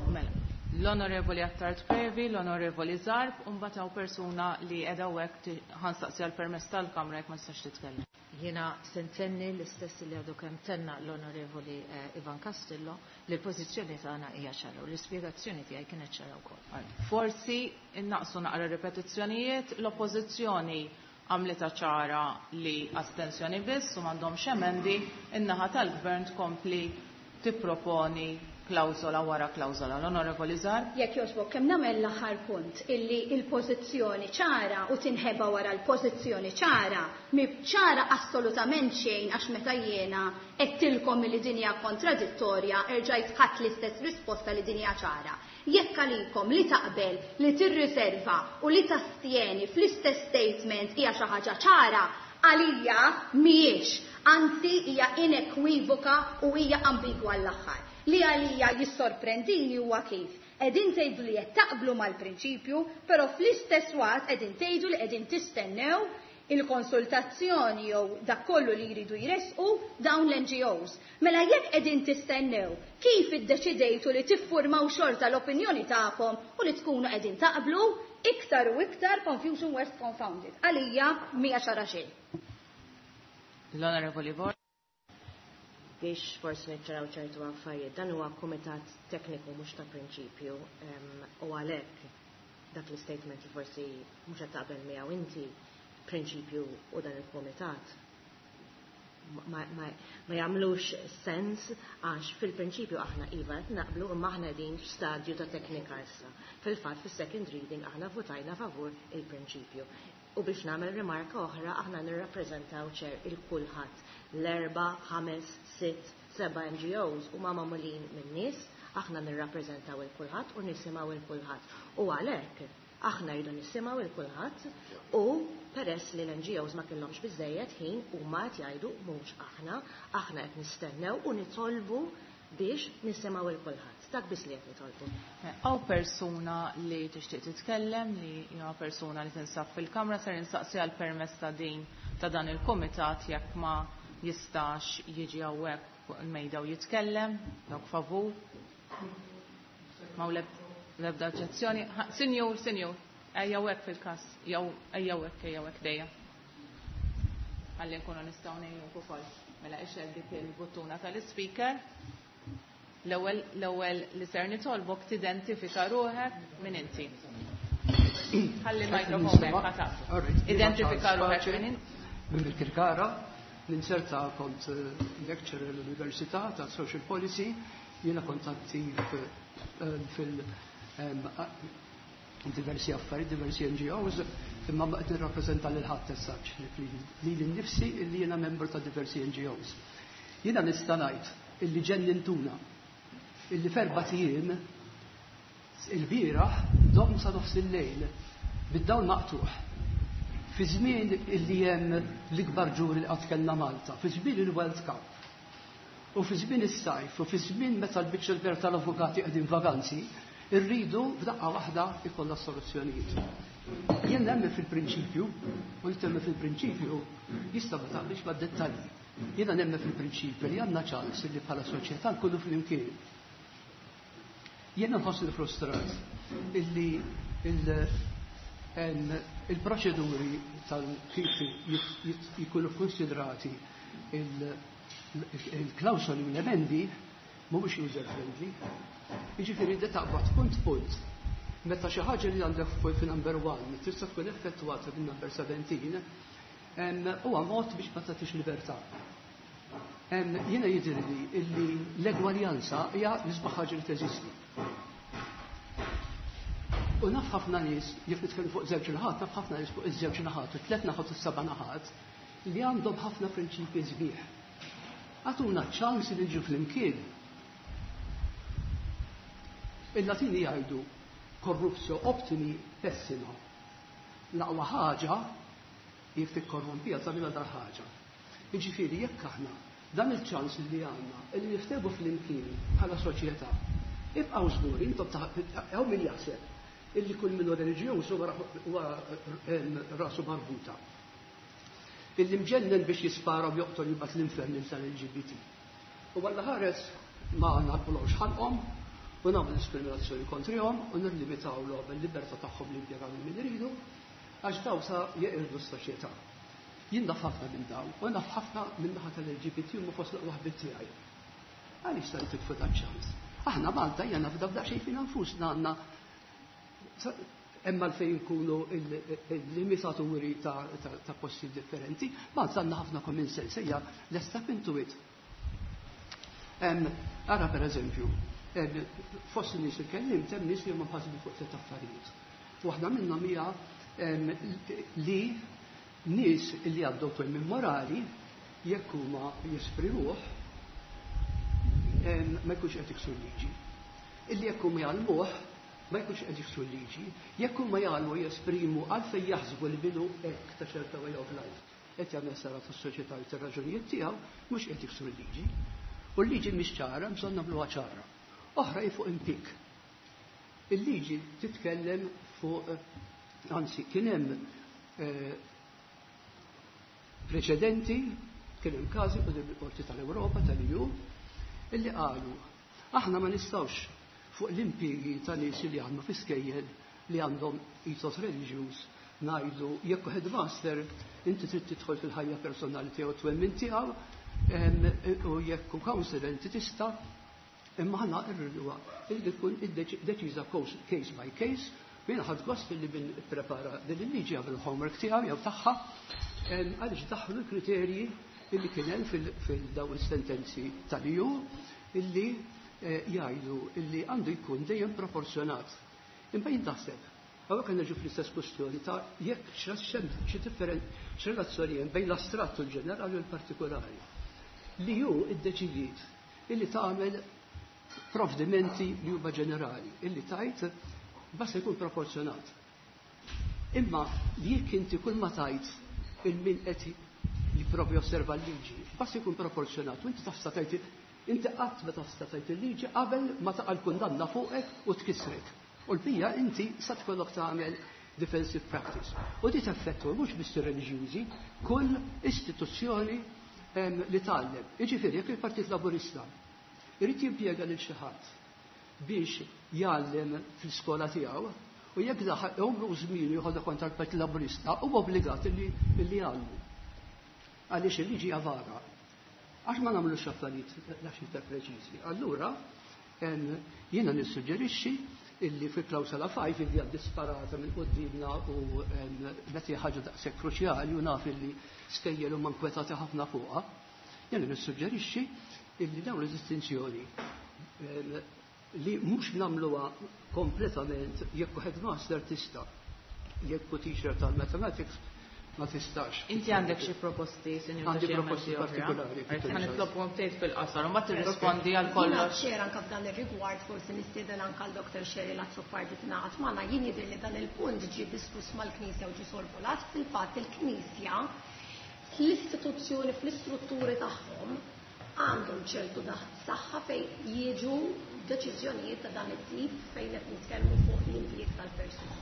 Speaker 2: Mela, l-Onorevoli Attard Previ, l-Onorevoli Zarb, u mbagħad hawn persuna li qiegħda hawnhekk ti-, ħansaqsi għall permess tal-Kamra jekk ma tistax titkellem.
Speaker 6: Jiena se ntenni l-istess li għadu kemm tenna l-Onorevoli, eh, Ivan Castillo li l-pożizzjoni tagħna hija ċara u l-ispjegazzjoni tiegħi kienet ċara wkoll.
Speaker 2: Forsi innaqsu naqra ripetizzjonijiet, l-oppożizzjoni għamlitha ċara li astensjoni biss u m'għandhomx emendi, in-naħa tal-Gvern tkompli tipproponi klawżola wara klawżola. L-Onorevoli Zarb?
Speaker 7: Jekk jogħġbok, kemm nagħmel l-aħħar punt illi l-pożizzjoni ċara u tinħeba wara l-pożizzjoni ċara, mi ċara assolutament xejn għax meta jiena qedtilkom li din hija kontradittorja erġajt ħadd l-istess risposta li din hija ċara. Jekk għalikom li taqbel, li tirriserva u li tastjeni fl-istess statement hija xi ħaġa ċara, għalija mhijiex, anzi hija inekwivoka u hija ambigwa l-aħħar. Li għalija jissorprendini huwa kif qegħdin tgħidu li qed taqblu mal-prinċipju, però fl-istess waqt qegħdin tgħidu li qegħdin tistennew il-konsultazzjoni jew dak kollu li jridu jresqu dawn l-N G Os. Mela jekk qegħdin tistennew, kif iddeċidejtu li tiffurmaw xorta l-opinjoni tagħkom u li tkunu qegħdin taqblu, iktar u iktar confusion worst confounded. Għalija mija ċara xejn.
Speaker 2: L-Onorevoli Borg.
Speaker 5: Biex forsi niċċaraw ċertu affarijiet, dan huwa kumitat tekniku mhux ta' prinċipju, em, u għalhekk dak l-istatement li forsi mhux qed taqbel miegħu inti, prinċipju u dan il-kumitat ma, ma, ma jagħmlux sens għax fil-prinċipju aħna iva qed naqblu imma aħna qegħdin f'stadju ta' teknika issa. Fil-fatt fis-second reading aħna votajna favur il-prinċipju. U biex nagħmel rimarka oħra aħna nirrappreżentaw ċer il-kulħadd. L-erba, ħames, sitt, seba' N G Os huma magħmulin minn nies, aħna nirrappreżentaw il-kulħadd u nisimgħu il-kulħadd. U għalhekk aħna rridu nisimgħu il-kulħadd u peress li l-N G Os ma kellhomx biżejjed ħin huma qed jgħidu mhux aħna, aħna qed nistennew u nitolbu biex nisimgħu il-kulħadd. Dak biss li qed nitolbu.
Speaker 2: Hawn persuna li tixtieq titkellem, li hija persuna li tinsab fil-kamra, ser insaqsi għal permess ta' din ta' dan il-kumitat jekk ma jistax jiġi hawnhekk fuq il-mejda u jitkellem, dawk favur. Ma hu l-ebda oġġezzjoni. Ha, Sinjur, sinjur, ejja hawnhekk fil-każ, jew ejja hawnhekk, ejja hawnhekk dejja. Ħalli nkunu nistgħu ngħinuk ukoll. Mela ixel dik il-buttuna tal-ispeaker. L-ewwel, l-ewwel li ser nitolbok tidentifika ruħek minn inti. Ħalli l-mikrofon hekk ħa taf.
Speaker 8: All right.
Speaker 2: Identifika ruħek minn inti.
Speaker 8: Minn Birkirkara, ninserta kont, eh, lecturer l-Università ta' Social Policy, jiena kont attiv, eh, fil, ehm, a-, diversi affarijiet, diversi N G Os, imma ma qed nirrappreżenta lil ħadd issa li lili nnifsi illi jiena membru ta' diversi N G Os. Jiena nista' ngħid illi ġennintuna illi f'erba' ijiem il-bieraħ dom sa nofs il-lejl bid-dawl maqtuħ. Fi żmien illi hemm l-ikbar ġuri li qatt kellna Malta, fi żmien il-World Cup. U fi żmien is-sajf u fi żmien meta l-biċċa l-kbira tal-avukati qegħdin vaganzi, irridu f'daqqa waħda ikollna soluzzjonijiet. Jien nemmen fil-prinċipju, u li temmen fil-prinċipju jista' ma taqbilx mad-dettalji. Jiena nemmen fil-prinċipju li għandna ċans li bħala soċjetà nkunu flimkien. Jiena nħossni frustrat illi il-proċeduri tal-kif jikunu konsidrati il-klawsoli u l-emendi mhumiex user friendly. Jiġifieri di taqbad punt punt. Meta xi ħaġa li għandek fuq fi number one tista' tkun effettwata fin-number seventeen, huwa mod biex ma tagħtix libertà. Jiena jidhirli illi l-egwaljanza hija l-isbaħ ħaġa li teżisti. U naf ħafna nies, jekk nitkellmu fuq żewġ naħat, naf ħafna nies fuq iż-żewġ naħat, u tliet naħat u seba' naħat, li għandhom ħafna prinċipji sbieħ. Għatuna ċans li nġu flimkien. Il-Latini jgħidu corruptio optimi pessima. L-aqwa ħaġa jekk tikkorrompija tagħmilha dar ħaġa. Jiġifieri jekk aħna dan il-ċans li għandna li niftehmu flimkien bħala soċjetà, ibqgħu żgur intom hawn min jaħseb illi kull minnu reliġjuż huwa rasu marbuta. Illi mġennen biex jispara u joqtol jibgħat l-infern tal-L G B T. U għalla ħares ma nagħlqulhomx ħalqhom u nagħmlu diskriminazzjoni kontrihom u nirlimitawlhom il-libertà tagħhom li jimpjegaw min iridu, għax daw sa jeqirdu s-soċjetà. Jien naf ħafna minn daw, u naf ħafna minn naħa tal-L G B T u ma fost l-aqwa ħbieb tiegħi. Għaliex sa titfu dan ċans? Aħna Malta hija nafda f'daqsxejn fina nfusna, għandna hemm għalfejn nkunu il-limitaturi ta' posti differenti, Malta għandna ħafna common sense, ejja, let's step into it. Ara per eżempju, fost nies il-kellim, hemm nies li huma mħassbin fuq tliet affarijiet. Waħda minnhom hija li nies li għaddew twemmin morali, jekk huma jesprimuh, ma jkunx qed jiksru liġi. Illi jekk huma jgħallmuh ma jkunx qed jiksru liġi, jekk huma jgħallmu jesprimu għalfejn jaħsbu li bidu hekk ta' ċerta way of life qed jagħmel sara tas-soċjetà u tar-raġunijiet tiegħu, mhux qed jiksru l-liġi. U l-liġi mhix ċara, bżonn nagħmluha ċara. Oħra hi fuq impjieg. Il-liġi titkellem fuq, anzi, kien hemm eh, preċedenti, kien hemm każi quddiem il-Qorti tal-Ewropa tal-E U illi qalu aħna ma nistgħux fuq l-impjiegi ta' nies li għandhom fi skejjel li għandhom ethos reliġjuż ngħidu jekk headmaster inti trid tidħol fil-ħajja personali tiegħu, twemmin tiegħu, u jekk hu counselor inti tista', imma aħna rriduha li tkun deċiża case by case. Jiena ħadt gost li min prepara din il-liġi għamel homework tiegħu jew tagħha, għaliex daħlu l-kriterji illi kien hemm fil-daw is-sentenzi tal-E U illi eh, jgħidu illi għandu jkun dejjem proporzjonat. Imma jien taħseb, hawnhekk nerġu fl-istess kwestjoni ta' jekk xi x'relazzjoni hemm bejn l-astrattu l-ġenerali u l-partikolari. Li hu iddeċidiet illi tagħmel provdimenti li huma ġenerali, illi tajt basta jkun proporzjonat. Imma li jekk inti kull ma tajt il-min qed jipprovi josserva l-liġi, basta jkun proporzjonat, u inti tista' tajt, inti qatt ma tista' tajt il-liġi qabel ma taqa' l-kundanna fuqek u tkissrek. U l-bija inti sa tkollok tagħmel defensive practice. U di teffettwa mhux biss reliġjużi, kull istituzzjoni li tgħallem. Jiġifieri jekk il-Partit Laburista irid jimpjega lil xi ħadd biex jgħallem fil-skola tiegħu, u jekk daħ għomru żmien jieħodha kontra l-Partit Laburista, huwa obbligat li jgħallmu. Għaliex il-liġi vaga. Għax ma nagħmlux affarijiet daqs iktar preċiżi. Allura jiena nissuġġerixxi illi fi klawsola ħamsa illi għad disparata minn qudiemna u meta ħaġa daqshekk kruċjali u naf illi skejjel huma nkwetati ħafna fuqha, jiena nissuġġerixxi illi dawn l-distinzjoni li mhux nagħmluha kompletament jekk headmaster tista', jekk teacher tal-mathematics ma tistax.
Speaker 2: Inti għandek xi proposti, sinjur?
Speaker 8: Għandi proposti partikolari.
Speaker 2: Ħa nitlobkom tgħid fil-qasar u ma tirrispondi għal kollox.
Speaker 1: Chair, anka f'dan ir-rigward forsi nistieden anka l-Doktor Cheryl Azzopardi tingħaqad magħna. Jien jidher li dan il-punt ġie diskuss mal-Knisja u ġie sorvolat. Fil-fatt il-Knisja fl-istituzzjoni, fl-istrutturi tagħhom Għandhom ċertu saħħa fejn jiġu deċiżjonijiet ta' dan it-tip fejn qed nitkellmu fuq l-impjieg tal-persuna.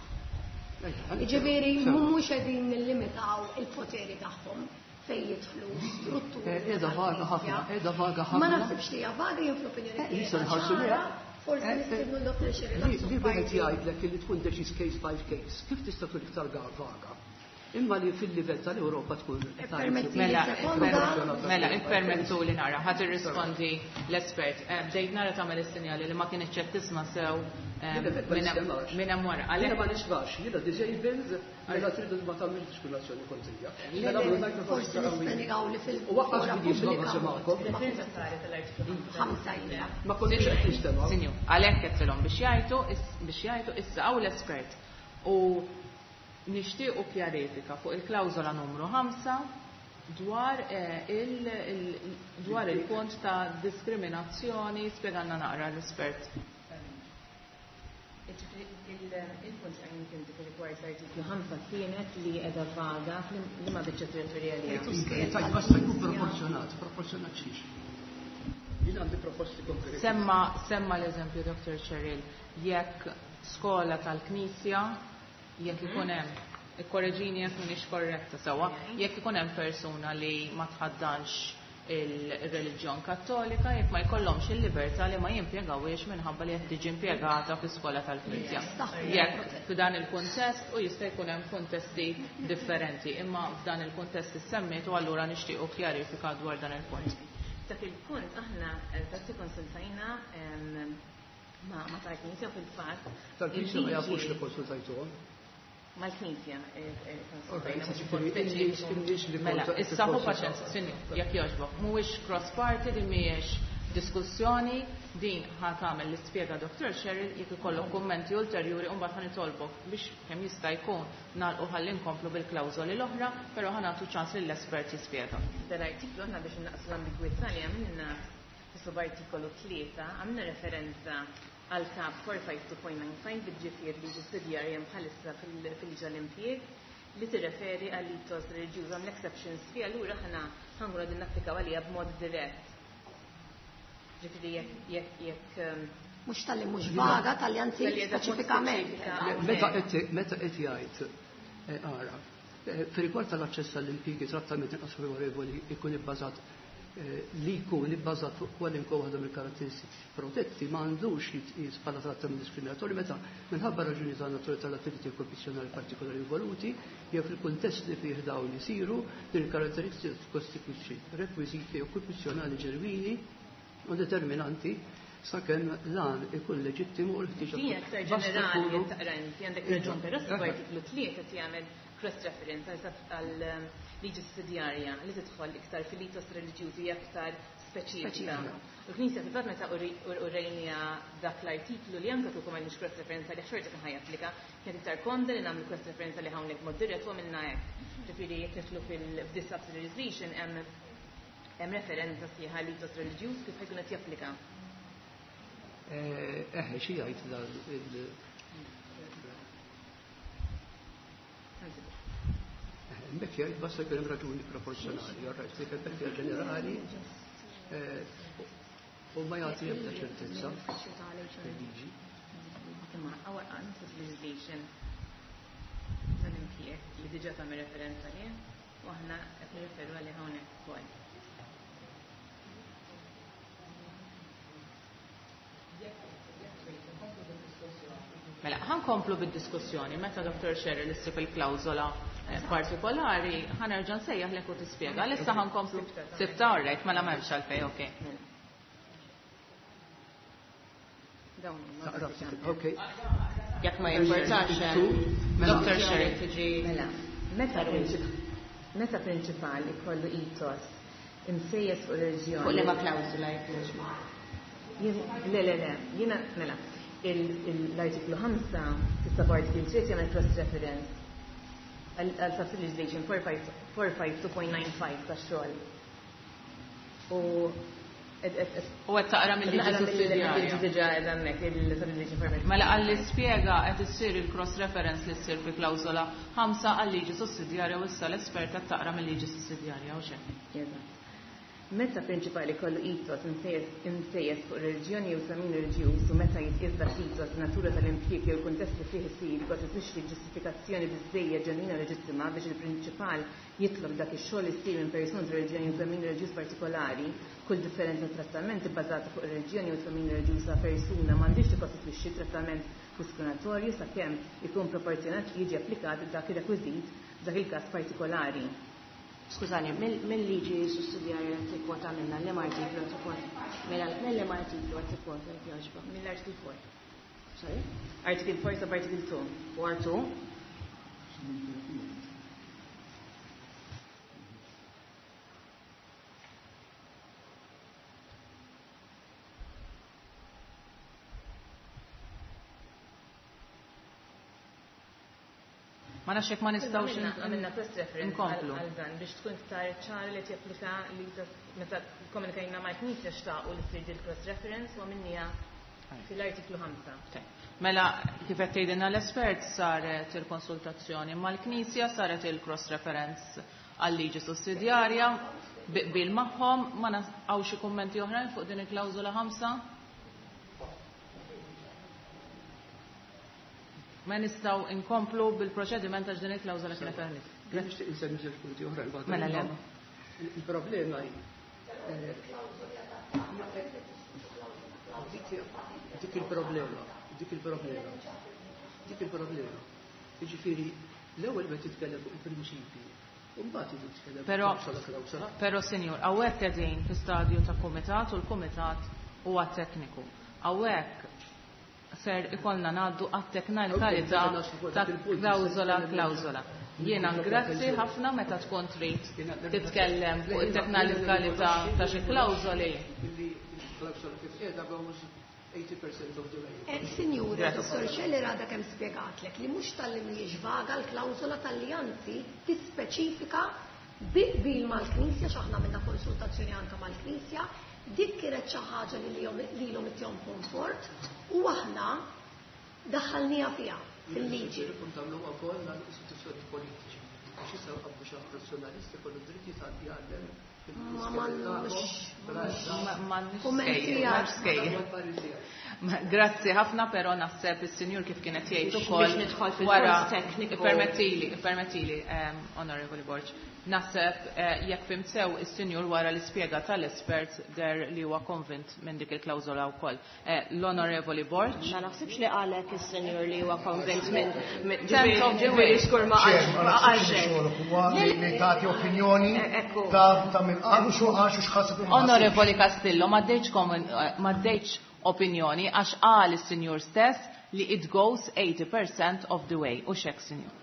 Speaker 1: Jiġifieri mhux qegħdin nillimitaw il-poteri tagħhom fejn jidħlu strutturi.
Speaker 8: Qiegħda vaga ħafna, qiegħda vaga ħafna.
Speaker 1: Ma naħsibx li hija vaga jien fl-opinjoni tiegħi. Forsi nistiednu l-Dottor Cheryl.
Speaker 8: Li wieħed jgħidlek li tkun deċiż case by case, kif tista' tkun iktar vaga? Imma li fil-livell tal-Ewropa tkun.
Speaker 2: Mela, mela, ippermettu li nara, ħa tirrispondi l-espert. Bdejt nara tagħmel is-sinjali li ma kienx qed tisma' sew minn hemm wara.
Speaker 8: Jiena ma nismax, jiena disabled, mela tridu ma tagħmilx diskriminazzjoni kontrija.
Speaker 1: Forsi nispjegaw li fil-
Speaker 8: U waqqas li jisma' ma semgħakom.
Speaker 1: Ħamsa ilha.
Speaker 8: Ma kontx qed nistema'.
Speaker 2: Sinjur, għalhekk qedtilhom biex jgħidu biex jgħidu issa hawn l-espert. U nixtiequ kjarifika fuq il-klawżola numru ħamsa dwar il dwar il-punt ta' diskriminazzjoni, spjegalna naqra l-espert.
Speaker 5: Il-punt għajn kien dik rigward l-artiklu ħamsa kienet li qiegħda vaga li ma biċċa territorjali.
Speaker 8: Tajt basta jkun proporzjonat, proporzjonat xiex. Jien għandi proposti konkreti.
Speaker 2: Semma semma l-eżempju Dottor Cheryl, jekk skola tal-Knisja, jekk ikun hemm, ikkorreġini jekk m'iniex korretta sewwa, jekk ikun hemm persuna li ma tħaddanx il-reliġjon kattolika, jekk ma jkollhomx il-libertà li ma jimpjegawhiex minħabba li qed tiġi impjegata fi skola tal-Knisja. Jekk f'dan il-kuntest, u jista' jkun hemm kuntesti differenti, imma f'dan il-kuntest issemmiet u allura nixtiequ kjarifika dwar dan il-punt.
Speaker 4: Dak il-punt aħna dak konsultajna ma' tal-Knisja fil-fatt.
Speaker 8: Tal-Knisja ma jafux li konsultajtuhom.
Speaker 4: Mal-Knisja.
Speaker 2: Mela, issa hu paċenza, sinjur, jekk jogħġbok, mhuwiex cross party, din mhijiex diskussjoni, din ħa tagħmel l-ispjega Dottor Cheryl, jekk ikollok kummenti ulterjuri u mbagħad ħa nitolbok biex kemm jista' jkun nagħlqu ħalli nkomplu bil-klawżoli l-oħra, però ħa nagħtu ċans lill-espert jispjega.
Speaker 4: Dan-artiklu aħna biex innaqsu l-ambigwità li għamilna fis-subartikolu tlieta għamilna referenza għal kap four five two point nine five bil-ġifier li ġustidjarja bħalissa fil-liġi tal-impjieg li tirreferi għal ethos reliġjuż għam l-exceptions fi allura ħana ħankunu qegħdin napplikaw għalija b'mod dirett. Ġifieri jekk jekk jekk
Speaker 1: mhux tal-li mhux vaga, tal-li anzi speċifikament.
Speaker 8: Meta qed meta qed jgħid ara, fir-rigward tal-aċċess għall-impjiegi trattament inqas favorevoli jkun ibbażat li jkun ibbażat fuq kwalinkwe waħda mill-karatteristiċi protetti ma għandux jitqies bħala trattament diskriminatorju meta minħabba raġuni ta' natura tal-attività okkupazzjonali partikolari involuti jew fil-kuntest li fih dawn isiru din il-karatteristika tikkostitwixxi rekwiżiti okkupazzjonali ġenwini u determinanti sakemm l-għan ikun leġittimu u l-ħtieġa.
Speaker 4: Din aktar ġenerali taqra inti għandek raġun, però artiklu tlieta qed jagħmel cross reference għal liġi sussidjarja li tidħol iktar fil-ethos reliġjużi aktar speċifika. U l-Knisja fil-fatt meta urejnija dak l-artiklu li anke kieku m'għandniex cross reference li xorta kien ħajapplika, kienet iktar komda li nagħmlu cross reference li hawnhekk mod dirett u għamilna hekk. Ġifieri jekk nidħlu fil-this legislation hemm hemm referenza sħiħa l-ethos reliġjuż kif ħajkun qed japplika.
Speaker 8: Eħe, xi jgħid dan il- Hemmhekk jgħid basta jkun hemm raġuni proporzjonali, all right, dik hemmhekk hija ġenerali u ma jagħti ebda ċertezza fil-liġi.
Speaker 4: Imma our legislation tal-impjieg li diġà tagħmel referenza lih u aħna qed nirreferu għalih hawnhekk ukoll.
Speaker 2: Mela, ħankomplu bid-diskussjoni meta Dottor Cheryl issib il-klawżola partikolari, ħanerġa' nsejjaħlek u tispjega. Issa ħankomplu sibta, all right, mela m'hemmx għalfejn, okej.
Speaker 8: Okej.
Speaker 5: Jekk ma jimportax.
Speaker 2: Dottor Cheryl tiġi.
Speaker 4: Mela, meta meta prinċipal ikollu ethos imsejjes fuq reliġjoni.
Speaker 5: Fuq liema klawżola jekk
Speaker 4: Le, le, le, jiena mela, l-artiklu ħamsa fis-subartiklu tliet jagħmel cross reference għal subsidy legislation four five two point nine five tax-xogħol. U
Speaker 2: U qed taqra mill-liġi sussidjarja.
Speaker 4: Mill-liġi diġà qiegħda hemmhekk il-subsidy legislation four five.
Speaker 2: Mela għalli spjega qed issir il-cross reference li ssir fi klawżola ħamsa għal-liġi sussidjarja u issa l-espert qed taqra mill-liġi sussidjarja u xejn.
Speaker 4: Eżatt.
Speaker 9: Meta prinċipali kollu ethos imsejjes fuq reliġjoni jew twemmin reliġjuż u meta jitqies dak l-ethos natura tal-impjieg jew il-kuntest li fih isir jikkostitwixxi ġustifikazzjoni biżżejjed ġenwina u leġittima biex il-prinċipal jitlob dak ix-xogħol isir minn persuna ta' reliġjoni jew twemmin reliġjuż partikolari, kull differenza ta' trattament ibbażata fuq ir-reliġjoni jew twemmin reliġjuż ta' persuna m'għandhiex tikkostitwixxi trattament diskriminatorju sakemm ikun proporzjonat li jiġi applikat dak ir-rekwiżit f'dak il-każ partikolari.
Speaker 5: Skużani, mill-liġi sussidjarja qed tikkwota minna liema artiklu qed tikkwota? Mela mill-liema artiklu qed tikkwota jekk jogħġbok?
Speaker 9: Mill-artiklu four.
Speaker 5: Sorry?
Speaker 9: Article four sub article two.
Speaker 5: Four two.
Speaker 2: Ma nafx jekk ma nistgħux
Speaker 9: Għamilna cross reference
Speaker 2: nkomplu.
Speaker 9: għal dan biex tkun iktar ċara li japplika li meta komunikajna mal-Knisja xtaqu li ssir dil cross reference u għamilniha fil-artiklu ħamsa.
Speaker 2: Mela kif qed tgħidilna l-espert saret il-konsultazzjoni mal-Knisja, saret il-cross reference għal-liġi sussidjarja bil magħhom, ma hawn xi kummenti oħrajn fuq din il-klawżola ħamsa? Ma nistgħu inkomplu bil-proċediment għax din il-klawżola kienet għalih.
Speaker 8: Jien nixtieq insemmi żewġ punti oħra l-bada.
Speaker 2: Mela le.
Speaker 8: Il-problema hi dik il-problema, dik il-problema, dik il-problema. Jiġifieri l-ewwel meta titkellem fuq il-prinċipji, u mbagħad tiġi titkellem fuq klawsola klawsola.
Speaker 2: Però sinjur, hawnhekk qegħdin fi stadju ta' kumitat u l-kumitat huwa tekniku. Hawnhekk ser ikollna ngħaddu għat-teknikalità ta' klawżola klawżola. Jiena grazzi ħafna meta tkun trid titkellem fuq it-teknikalità ta' xi klawżoli.
Speaker 1: Sinjura, Dottor Scheller għadha kemm spjegatlek li mhux talli mhijiex vaga l-klawżola talli anzi tispeċifika bi qbil mal-Knisja, x'aħna għamilna konsultazzjoni anke mal-Knisja, dik kienet xi ħaġa li lilhom ittihom komfort u aħna daħħalniha fiha fil-liġi.
Speaker 8: Irridu tagħmluha wkoll għall-istituzzjoni politiċi. Biex issa qabdu xi nazzjonalisti kollu dritti ta' jgħallem
Speaker 1: Ma m'għandux
Speaker 2: Kummenti Grazzi ħafna, però naħseb is-sinjur kif kienet jgħid ukoll
Speaker 5: Biex nidħol fil-punt
Speaker 2: wara
Speaker 5: tekniku.
Speaker 2: Ippermettili, ippermettili, Onorevoli Borg. Naħseb jekk fimt sew is-sinjur wara l-ispjega tal-espert der li huwa konvint minn dik il-klawżola wkoll. L-Onorevoli Borg.
Speaker 5: Ma naħsibx li qalek is-sinjur li huwa konvint minn
Speaker 2: Sense of the way.
Speaker 5: Ġifieri ma qalx hekk.
Speaker 3: Huwa li tagħti opinjoni ta' ta' minn qalu xu għax u x'ħaseb.
Speaker 2: Onorevoli Castillo, ma ddejtx opinjoni għax qal is-sinjur stess li it goes eighty percent of the way. U x'hekk, sinjur?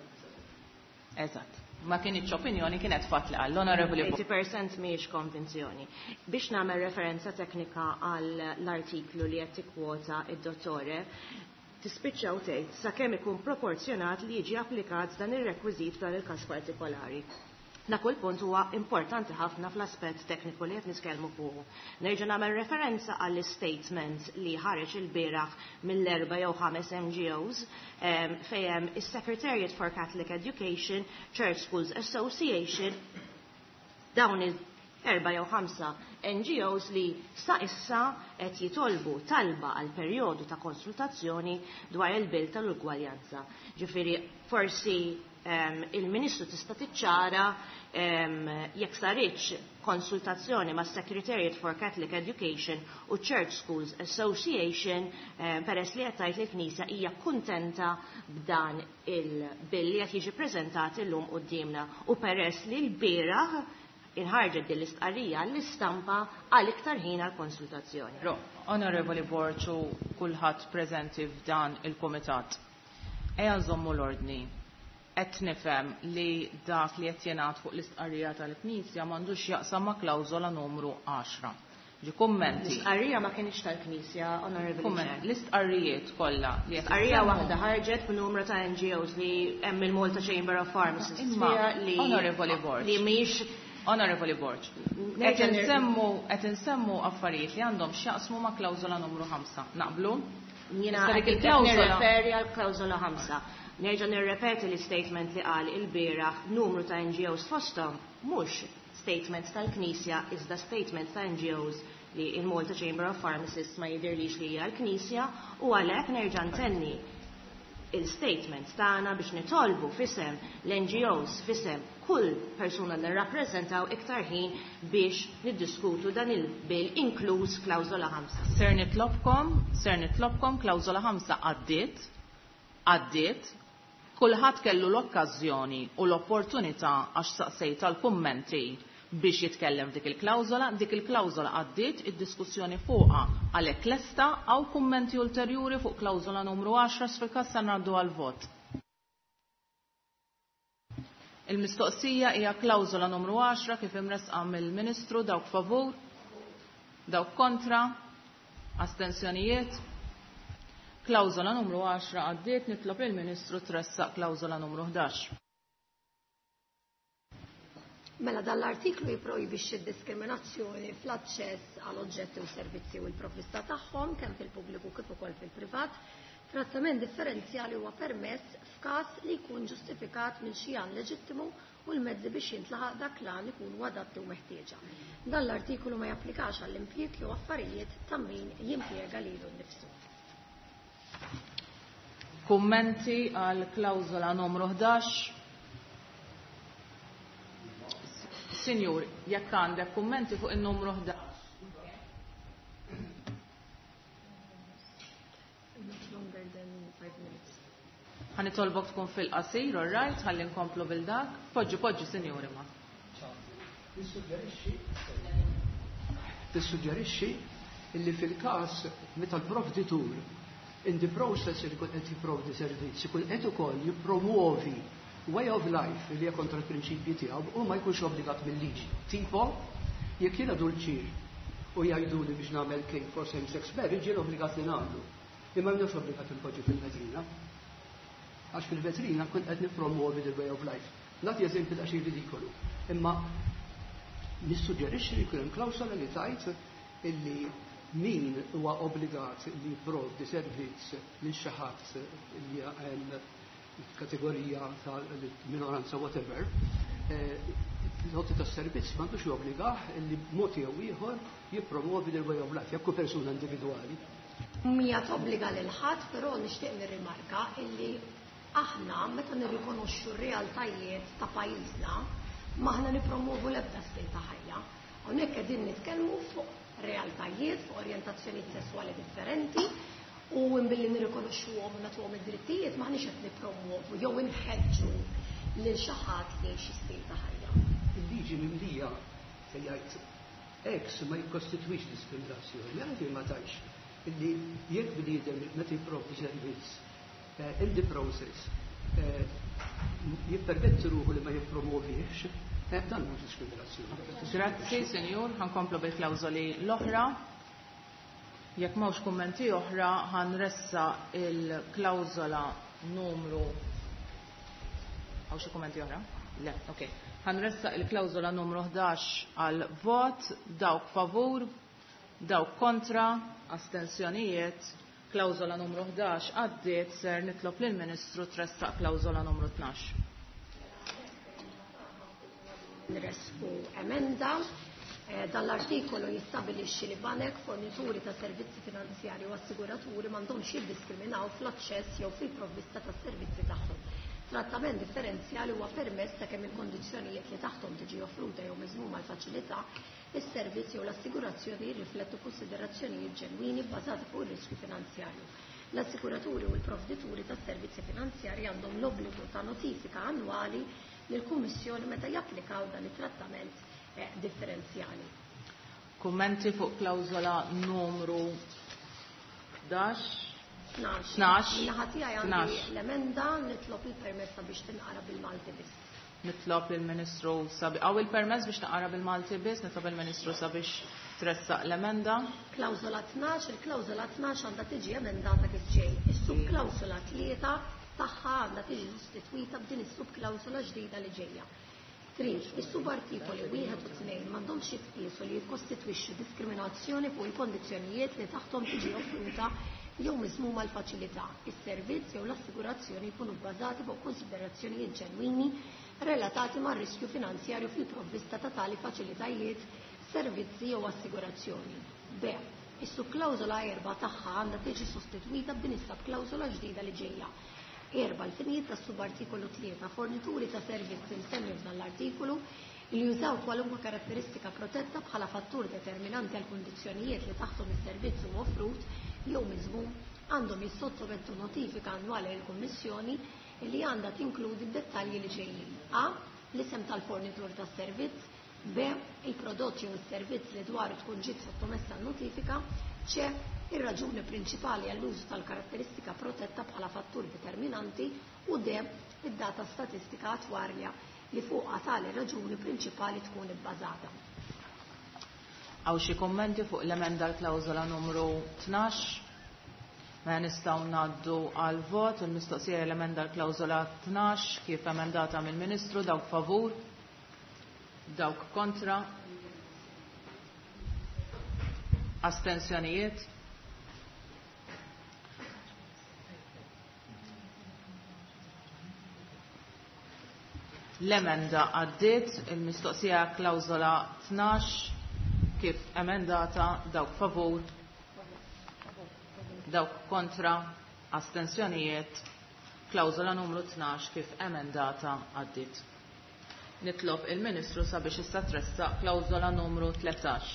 Speaker 2: Eżatt. Ma kienx opinjoni, kienet fatt li qal. L-Onorevoli
Speaker 5: eighty percent mhijiex konvinzjoni. Biex nagħmel referenza teknika għal l-artiklu li qed tikkwota id-dottore, tispiċċa u tgħid sakemm ikun proporzjonat li jiġi applikat dan ir-rekwiżit f'dan il-każ partikolari. Dak kull punt huwa importanti ħafna fl-aspett tekniku li qed nitkellmu fuqu. Nerġa' nagħmel referenza għall-statement li ħareġ il-bieraħ mill-erba' jew ħames N G Os fejn hemm is-Secretariat for Catholic Education, Church Schools Association, dawn il-erba' jew ħamsa N G Os li sa issa qed jitolbu talba għal perjodu ta' konsultazzjoni dwar il-bill tal-ugwaljanza. Ġifieri forsi il-Ministru tista' tiċċara jekk saritx konsultazzjoni ma' Secretariat for Catholic Education u Church Schools Association, peress li qed tgħid li l-Knisja hija kuntenta b'dan il-bill li qed jiġi ppreżentat illum quddiemna u peress li l-bieraħ inħarġet din l-istqarrija l-istampa għal iktar ħin għal konsultazzjoni.
Speaker 2: Onorevoli Borg u kulħadd preżenti f'dan il-kumitat. Ejja nżommu l-ordni. Qed nifhem li dak li qed jingħad fuq l-istqarrija tal-Knisja m'għandux jaqsam ma' klawżola numru għaxra. Ġi kummenti.
Speaker 5: L-istqarrija ma kienx tal-Knisja, Onorevoli
Speaker 2: Kumment,
Speaker 5: Chair.
Speaker 2: L-istqarrijiet kollha li qed
Speaker 5: Istqarrija
Speaker 2: jissemmu.
Speaker 5: waħda ħarġet b'numru ta' N G Os li hemm il-Malta Chamber of Pharmacists
Speaker 2: Imma,
Speaker 5: fiha li
Speaker 2: Onorevoli Borg.
Speaker 5: li mhix
Speaker 2: Onorevoli Borg,
Speaker 5: Nerġa'
Speaker 2: qed
Speaker 5: nir-
Speaker 2: insemmu, qed insemmu affarijiet li għandhom x'jaqsmu ma' klawżola numru ħamsa. Naqblu?
Speaker 5: Jiena
Speaker 2: Issa dik
Speaker 5: qed
Speaker 2: il-klawżola
Speaker 5: nirreferi għal klawżola ħamsa. Nerġa' nirrepeti l-statement li qal il-bieraħ numru ta' N G Os fosthom mhux statement tal-Knisja iżda statement ta' N G Os li il-Malta Chamber of Pharmacists ma jidirlix li hija l-Knisja, u għalhekk nerġa' ntenni il-statement tagħna biex nitolbu f'isem l-N G Os, f'isem kull persuna li nirrappreżentaw, iktar ħin biex niddiskutu dan il-bill, inkluż klawżola ħamsa.
Speaker 2: Ser nitlobkom, ser nitlobkom, klawżola ħamsa għaddiet, għaddiet, kulħadd kellu l-okkażjoni u l-opportunità għax saqsejt tal-kummenti biex jitkellem dik il-klawżola, dik il-klawżola għaddiet, id-diskussjoni fuqha għalhekk lesta. Hawn kummenti ulterjuri fuq klawżola numru għaxra? Fil-każ se ngħaddu għal-vot. Il-mistoqsija hija klawżola numru għaxra kif imresqa mill-Ministru. Dawk favur, dawk kontra, astensjonijiet. Klawżola numru għaxra għaddiet. Nitlob il-Ministru tressaq klawżola numru ħdax.
Speaker 1: Mela, dan l-artiklu jiprojbixxi d-diskriminazzjoni fl-aċċess għal oġġetti u servizzi u l-provvista tagħhom, kemm fil-pubbliku kif ukoll fil-privat. Trattament differenzjali huwa permess f'każ li jkun ġustifikat minn xi għan leġittimu u l-mezzi biex jintlaħaq dak l-għan ikunu adatti u meħtieġa. Dan l-artikolu ma japplikax għall-impjieg jew affarijiet ta' min jimpjega lilu nnifsu.
Speaker 2: Kummenti għal klawżola numru ħdax? Sinjur, jekk għandek kummenti fuq il-numru ħdax.
Speaker 1: Not longer than five minutes.
Speaker 2: Ħa nitolbok tkun fil-qasir, all right, ħalli nkomplu bil-dak. Poġġi, poġġi, sinjuri ma.
Speaker 8: Nissuġġerixxi Tissuġġerixxi illi fil-każ meta l-provditur in the process li jkun qed jipprovdi servizz ikun qed ukoll jippromuovi way of life li hija kontra l-prinċipji tiegħu, u ma jkunx obbligat mill-liġi. Tipo, jekk jiena dulċir u jgħiduli biex nagħmel cake for same sex marriage, jien obbligat li nagħmlu. Imma mhux obbligat inpoġġi fil-vetrina. Għax fil-vetrina kont qed nippromuovi the way of life. Nagħti eżempju daqsxejn ridikolu. Imma nissuġġerixxi li jkun hemm klawsola li tgħid illi min huwa obbligat li jipprovdi servizz lil xi ħadd li hemm kategorija tal-minoranza, whatever, l-għoti tas-servizz m'għandux jobbligah li b'mod jew ieħor jippromovi the way of life, jekk hu persuna individwali.
Speaker 1: Mija tobbliga lil ħadd, però nixtieq nirrimarka illi aħna meta nirrikonoxxu r-realtajiet ta' pajjiżna, m'aħna nippromovu l-ebda stil ta' ħajja. Hawnhekk qegħdin nitkellmu fuq realtajiet, fuq orjentazzjonijiet sesswali differenti, u billi nirrikonoxxuhom u nagħtuhom id-drittijiet m'aħniex qed nippromovu jew inħeġġu lil xi ħadd li xi stil ta' ħajja.
Speaker 8: Il-liġi mimlija se jgħid X ma jikkostitwix diskriminazzjoni, għalfejn ma tgħidx illi jekk bniedem meta jipprovdi servizz eh, in the process eh, jippermetti ruħu li ma jippromovix, eh, dan mhux diskriminazzjoni.
Speaker 2: Grazzi, senjur, ħa nkomplu bil-klawżoli l-oħra. Jekk m'hawnx kummenti oħra, ħa nressaq il-klawżola numru. Hawn xi kummenti oħra? Le, ok. Ħa nressaq il-klawżola numru ħdax għal vot, dawk favur, dawk kontra, astensjonijiet, klawżola numru ħdax għaddiet. Ser nitlob lill-Ministru tressaq klawżola numru tnax.
Speaker 1: Nresqu emenda. Eh, Dan l-artikolu jistabilixxi li banek, fornituri ta' servizzi finanzjari u assiguraturi m'għandhomx jiddiskriminaw fl-aċċess jew fil-provvista ta' servizzi tagħhom. Trattament differenzjali huwa permess sakemm il-kondizzjonijiet li taħthom tiġi offruta jew miżmuma l-faċilità, is-servizz jew l-assigurazzjoni jirriflettu konsiderazzjonijiet ġenwini bbażati fuq ir-riskju finanzjarju. L-assiguraturi u l-provdituri ta' servizzi finanzjari għandhom l-obbligu ta' notifika annwali lill-Kummissjoni meta japplikaw dan it-trattament eh, differenzjali.
Speaker 2: Kummenti fuq klawżola numru ħdax?
Speaker 1: tnax.
Speaker 2: Tnax.
Speaker 1: Min-naħa tiegħi għandi
Speaker 2: Tnax.
Speaker 1: l-emenda, nitlob il-permessa biex tinqara bil-Malti biss.
Speaker 2: Nitlob lill-Ministru sabi Hawn il-permess biex taqra bil-Malti biss, nitlob il-Ministru sabiex tressaq l-emenda.
Speaker 1: Klawżola tnax, il-klawżola tnax għandha tiġi emendata kif ġej. Is-subklawżola tlieta tagħha għandha tiġi sostitwita b'din is-subklawżola ġdida li ġejja. Trid, is-subartikoli wieħed u tnejn m'għandhomx jitqiesu li jikkostitwixxu diskriminazzjoni fuq il-kondizzjonijiet li taħthom tiġi offruta jew miżmuma l-faċilità, is-servizz jew l-assigurazzjoni jkunu bbażati fuq konsiderazzjonijiet ġenwini relatati mar-riskju finanzjarju fil-provvista ta' tali faċilitajiet, servizzi jew assigurazzjoni. B. Is-subklawżola erba' tagħha għandha tiġi sostitwita b'din is-subklawżola ġdida li ġejja. Erba' l-finijiet tas-subartikolu tlieta fornituri ta' servizzi msemmi f'dan l-artikolu li jużaw kwalunkwe karatteristika protetta bħala fattur determinanti għal kundizzjonijiet li taħtom is-servizz huwa offrut jew miżmum għandhom jissottomettu notifika annwali lill-Kummissjoni li għandha tinkludi d-dettalji li ġejjin. A. L-isem tal-fornitur tas-servizz. B. Il-prodott jew is-servizz li dwaru tkun ġiet sottomessa n-notifika. C. Ir-raġuni prinċipali għall-użu tal-karatteristika protetta bħala fattur determinanti. U D. Id-data statistika attwarja li fuqha tali raġuni prinċipali tkun ibbażata.
Speaker 2: Hawn xi kummenti fuq l-emenda l-klawżola numru tnax? Mela nistgħu ngħaddu għal vot. Il-mistoqsija l-emenda l-klawżola tnax kif emendata mill-Ministru. Dawk favur? Dawk kontra? Astensjonijiet? L-emenda għaddiet. Il-mistoqsija klawżola tnax kif emendata. Dawk favur? Dawk kontra? Astensjonijiet? Klawżola numru tnax kif emendata għaddiet. Nitlob il-Ministru sabiex issa tressaq klawżola numru tlettax.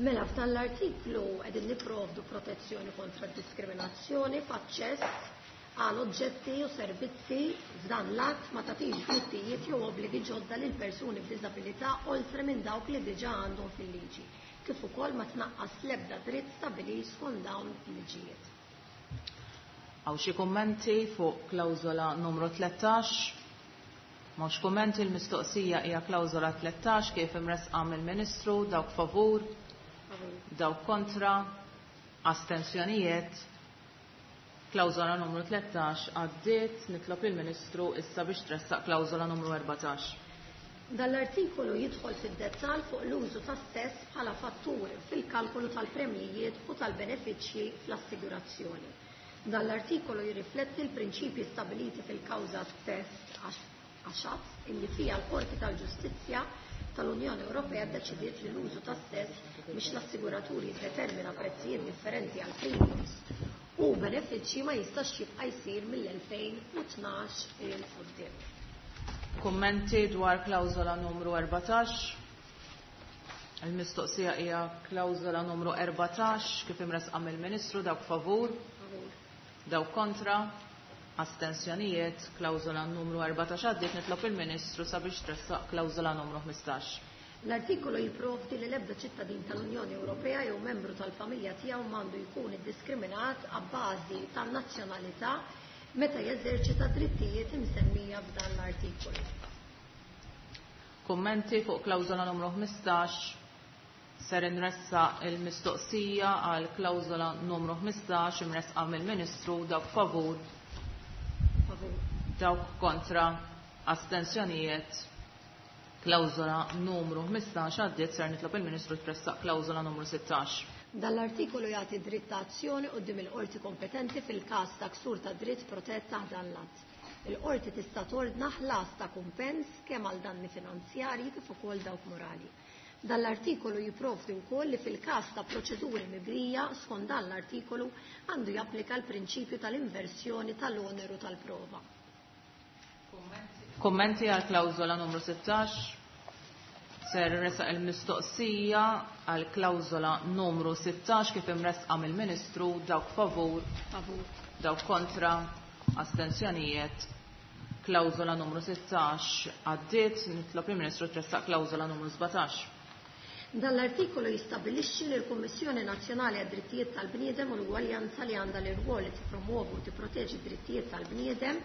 Speaker 1: Mela f'dan l-artiklu qegħdin nipprovdu protezzjoni kontra d-diskriminazzjoni f'aċċess għal oġġetti u servizzi. F'dan l-att ma tagħtix drittijiet jew obbligi ġodda lil persuni b'diżabilità oltre minn dawk li diġà għandhom fil-liġi, kif ukoll ma tnaqqas l-ebda dritt stabbilit skont dawn il-liġijiet.
Speaker 2: Hawn xi kummenti fuq klawżola numru tlettax? M'hawnx kummenti. Il-mistoqsija hija klawżola tlettax kif imressqa mill-Ministru. Dawk favur? Dawk kontra? Astensjonijiet? Klawżola numru tlettax għaddiet. Nitlob il-Ministru issa biex tressaq klawżola numru erbatax.
Speaker 1: Dan l-artikolu jidħol fid-dettall fuq l-użu tas-sess bħala fattur fil-kalkolu tal-premjijiet u tal-benefiċċji fl-assigurazzjoni. Dan l-artikolu jirrifletti l-prinċipji stabiliti fil-kawża stess għaxat illi fija l-Qorti tal-Ġustizzja tal-Unjoni Ewropea ddeċidiet li l-użu tas-sess biex l-assiguraturi jiddetermina prezzijiet differenti għal premiums u benefiċċji ma jistax jibqa' jsir mill-elfejn u tnax il quddiem.
Speaker 2: Kummenti dwar klawżola numru erbatax? Il-mistoqsija hija klawżola numru erbatax kif imressqa mill-Ministru. Dawk favur? Dawk kontra? Astensjonijiet? Klawżola numru erbatax għaddiet. Nitlob il-Ministru sabiex tressaq klawżola numru ħmistax.
Speaker 1: L-artikolu jipprovdi li l-ebda ċittadin tal-Unjoni Ewropea jew membru tal-familja tiegħu m'għandu jkun iddiskriminat abbażi tan-nazzjonalità meta jeżerċita drittijiet imsemmija f'dan l-artikolu.
Speaker 2: Kummenti fuq klawżola numru ħmistax? Ser inressaq il-mistoqsija għal klawżola numru ħmistax imressqa mill-Ministru. Dawk favur?
Speaker 1: Favur.
Speaker 2: Dawk kontra? Astensjonijiet? Klawżola numru ħmistax għaddiet. Ser nitlob il-Ministru tressaq klawżola numru sittax.
Speaker 1: Dan l-artikolu jagħti dritt ta' azzjoni quddiem il-qorti kompetenti fil-każ ta' ksur ta' dritt protett taħt dan l-att. Il-qorti tista' tordna ħlas ta' kumpens kemm għal danni finanzjarji kif ukoll dawk morali. Dan l-artikolu jipprovdi wkoll li fil-każ ta' proċeduri mibdija skont dan l-artikolu għandu japplika l-prinċipju tal-inversjoni tal-oneru tal-prova.
Speaker 2: Kummenti għal klawżola numru sittax? Ser resaq il-mistoqsija għal klawżola numru sittax kif imressqa mill-Ministru. Dawk favur?
Speaker 1: Favur.
Speaker 2: Dawk kontra? Astensjonijiet? Klawżola numru sittax għaddiet. Nitlob il-Ministru tressaq klawżola numru sbatax.
Speaker 1: Dan l-artikolu jistabilixxi li l-Kummissjoni Nazzjonali għad-Drittijiet tal-Bniedem u l-Ugwaljanza li għandha l-irwol li tippromuovu u tipproteġi d-drittijiet tal-bniedem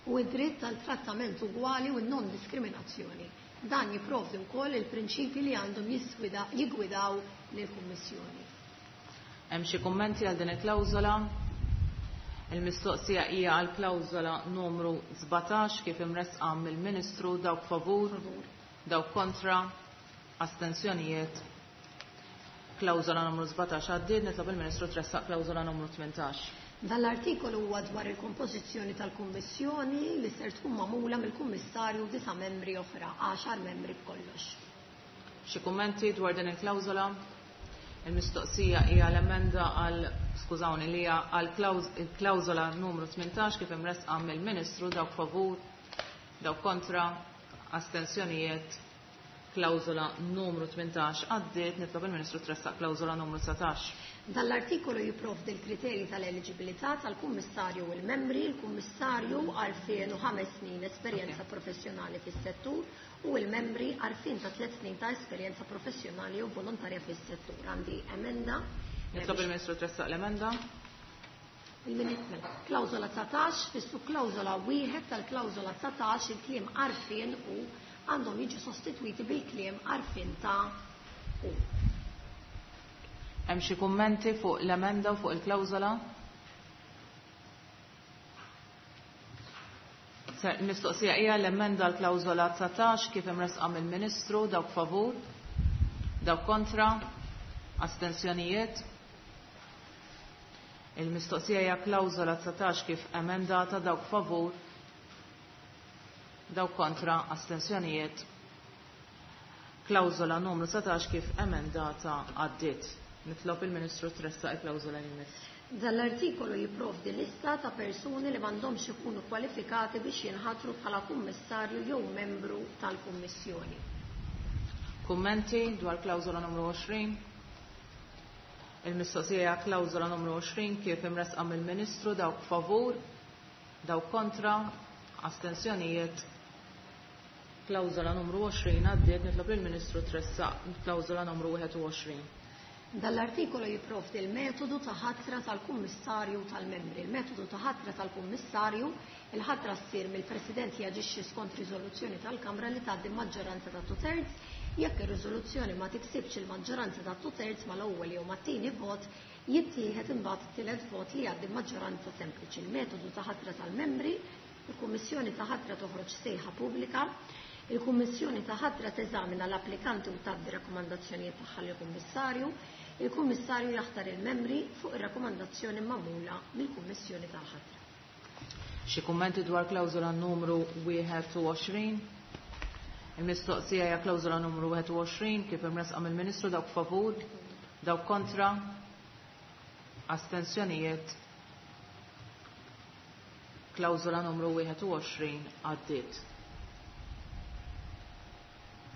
Speaker 1: u d-dritt tal-trattament ugwali u n-non-diskriminazzjoni. Dan jipprovdi wkoll il-prinċipji li għandhom jiggwidaw lill-Kummissjoni.
Speaker 2: Hemm xi kummenti għal din il-klawżola? Il-mistoqsija hija għal klawżola numru sbatax kif imressqa mill-Ministru. Dawk favur? Dawk kontra? Astensjonijiet? Klawżola numru sbatax għaddiet. Nitlob il-Ministru tressaq klawżola numru tmintax.
Speaker 1: Dan l-artikolu huwa dwar il-kompożizzjoni tal-Kummissjoni li ser tkun magħmula mill-Kummissarju u disa' membri oħra, għaxar membri b'kollox.
Speaker 2: Xi kummenti dwar din il-klawżola? Il-mistoqsija hija l-emenda għal, skużawni, li hija għal il-klawżola numru tmintax kif imresqa mill-Ministru. Dawk favur, dawk kontra, astensjonijiet. Klawżola numru tmintax għaddiet. Nitlob il-Ministru tressaq klawżola numru dsatax.
Speaker 1: Dan l-artikolu jipprovdi l-kriterji tal-eliġibilità tal-Kummissarju u l-membri. Il-Kummissarju għarfien u ħames snin esperjenza professjonali fis-settur u l-membri għarfien ta' tliet snin ta' esperjenza professjonali u volontarja fis-settur. Għandi emenda.
Speaker 2: Nitlob il-Ministru tressaq l-emenda.
Speaker 1: Il-Ministru, klawżola dsatax, fis-subklawżola wieħed tal-klawżola dsatax il-kliem għarfien u għandhom jiġu sostitwiti bil-kliem għarfien ta' u.
Speaker 2: Hemm xi kummenti fuq l-emenda u fuq il-klawżola? Il-mistoqsija hija l-emenda l-klawżola dsatax kif imresqa mill-Ministru. Dawk favur, dawk kontra, astensjonijiet. Il-mistoqsija hija klawżola dsatax kif emendata. Dawk favur, dawk kontra, astensjonijiet. Klawżola numru dsatax kif emendata għaddiet. Nitlob il-Ministru tressaq il-klawżola li jmiss.
Speaker 1: Dan l-artikolu jipprovdi lista ta' persuni li m'għandhomx ikunu kwalifikati biex jinħatru bħala kummissarju jew membru tal-Kummissjoni.
Speaker 2: Kummenti dwar klawżola numru għoxrin? Il-mistoqsija hija klawżola numru għoxrin kif imresqa mill-Ministru. Dawk favur, dawk kontra, astensjonijiet. Klawżola numru għoxrin għaddiet. Nitlob il-Ministru tressaq klawżola numru wieħed u għoxrin.
Speaker 1: Dan l-artikolu jipprovdi l-metodu ta' ħatra tal-Kummissarju tal-membri. Il-metodu ta' ħatra tal-Kummissarju, il-ħatra ssir mill-President jaġixxi skont riżoluzzjoni tal-Kamra li tgħaddi maġġoranza ta' two-thirds. Jekk ir-riżoluzzjoni ma tiksibx il-maġġoranza ta' two-thirds mal-ewwel jew mat-tieni vot, jittieħed imbagħad it-tielet vot li jgħaddi maġġoranza sempliċi. Il-metodu ta' ħatra tal-membri, il-Kummissjoni ta' ħatra toħroġ sejħa pubblika. Il-Kummissjoni ta' ħatra teżamina l-applikanti u tgħaddi rakkomandazzjonijiet tagħha lill-Kummissarju. Il-Kummissarju jaħtar il-membri fuq ir-rakkomandazzjoni magħmula mill-Kummissjoni tal-ħatra.
Speaker 2: Xi kummenti dwar klawżola numru wieħed u għoxrin? Il-mistoqsija hija klawżola numru wieħed u għoxrin kif imresqa mill-Ministru. Dawk favur, dawk kontra, astensjonijiet. Klawżola numru wieħed u għoxrin għaddiet.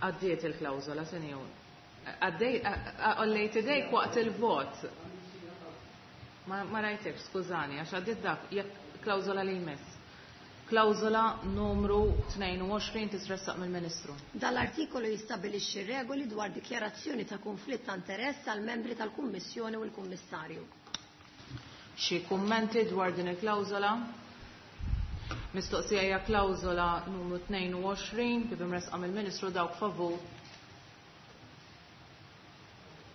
Speaker 2: Għaddiet il-klawżola, senjur. Għaddej, għollejt idejk waqt il-vot. Ma, ma rajtek, skużani, għax għaddiet dak, jekk klawżola li jmiss. Klawżola numru tnejn u għoxrin titressaq mill-Ministru.
Speaker 1: Dan l-artikolu jistabilixxi regoli dwar dikjarazzjoni ta' konflitt ta' interess għal membri tal-Kummissjoni u l-Kummissarju.
Speaker 2: Xi kummenti dwar din il-klawżola? Mistoqsija hija klawżola numru tnejn u għoxrin kif imresqa mill-Ministru. Dawk favur,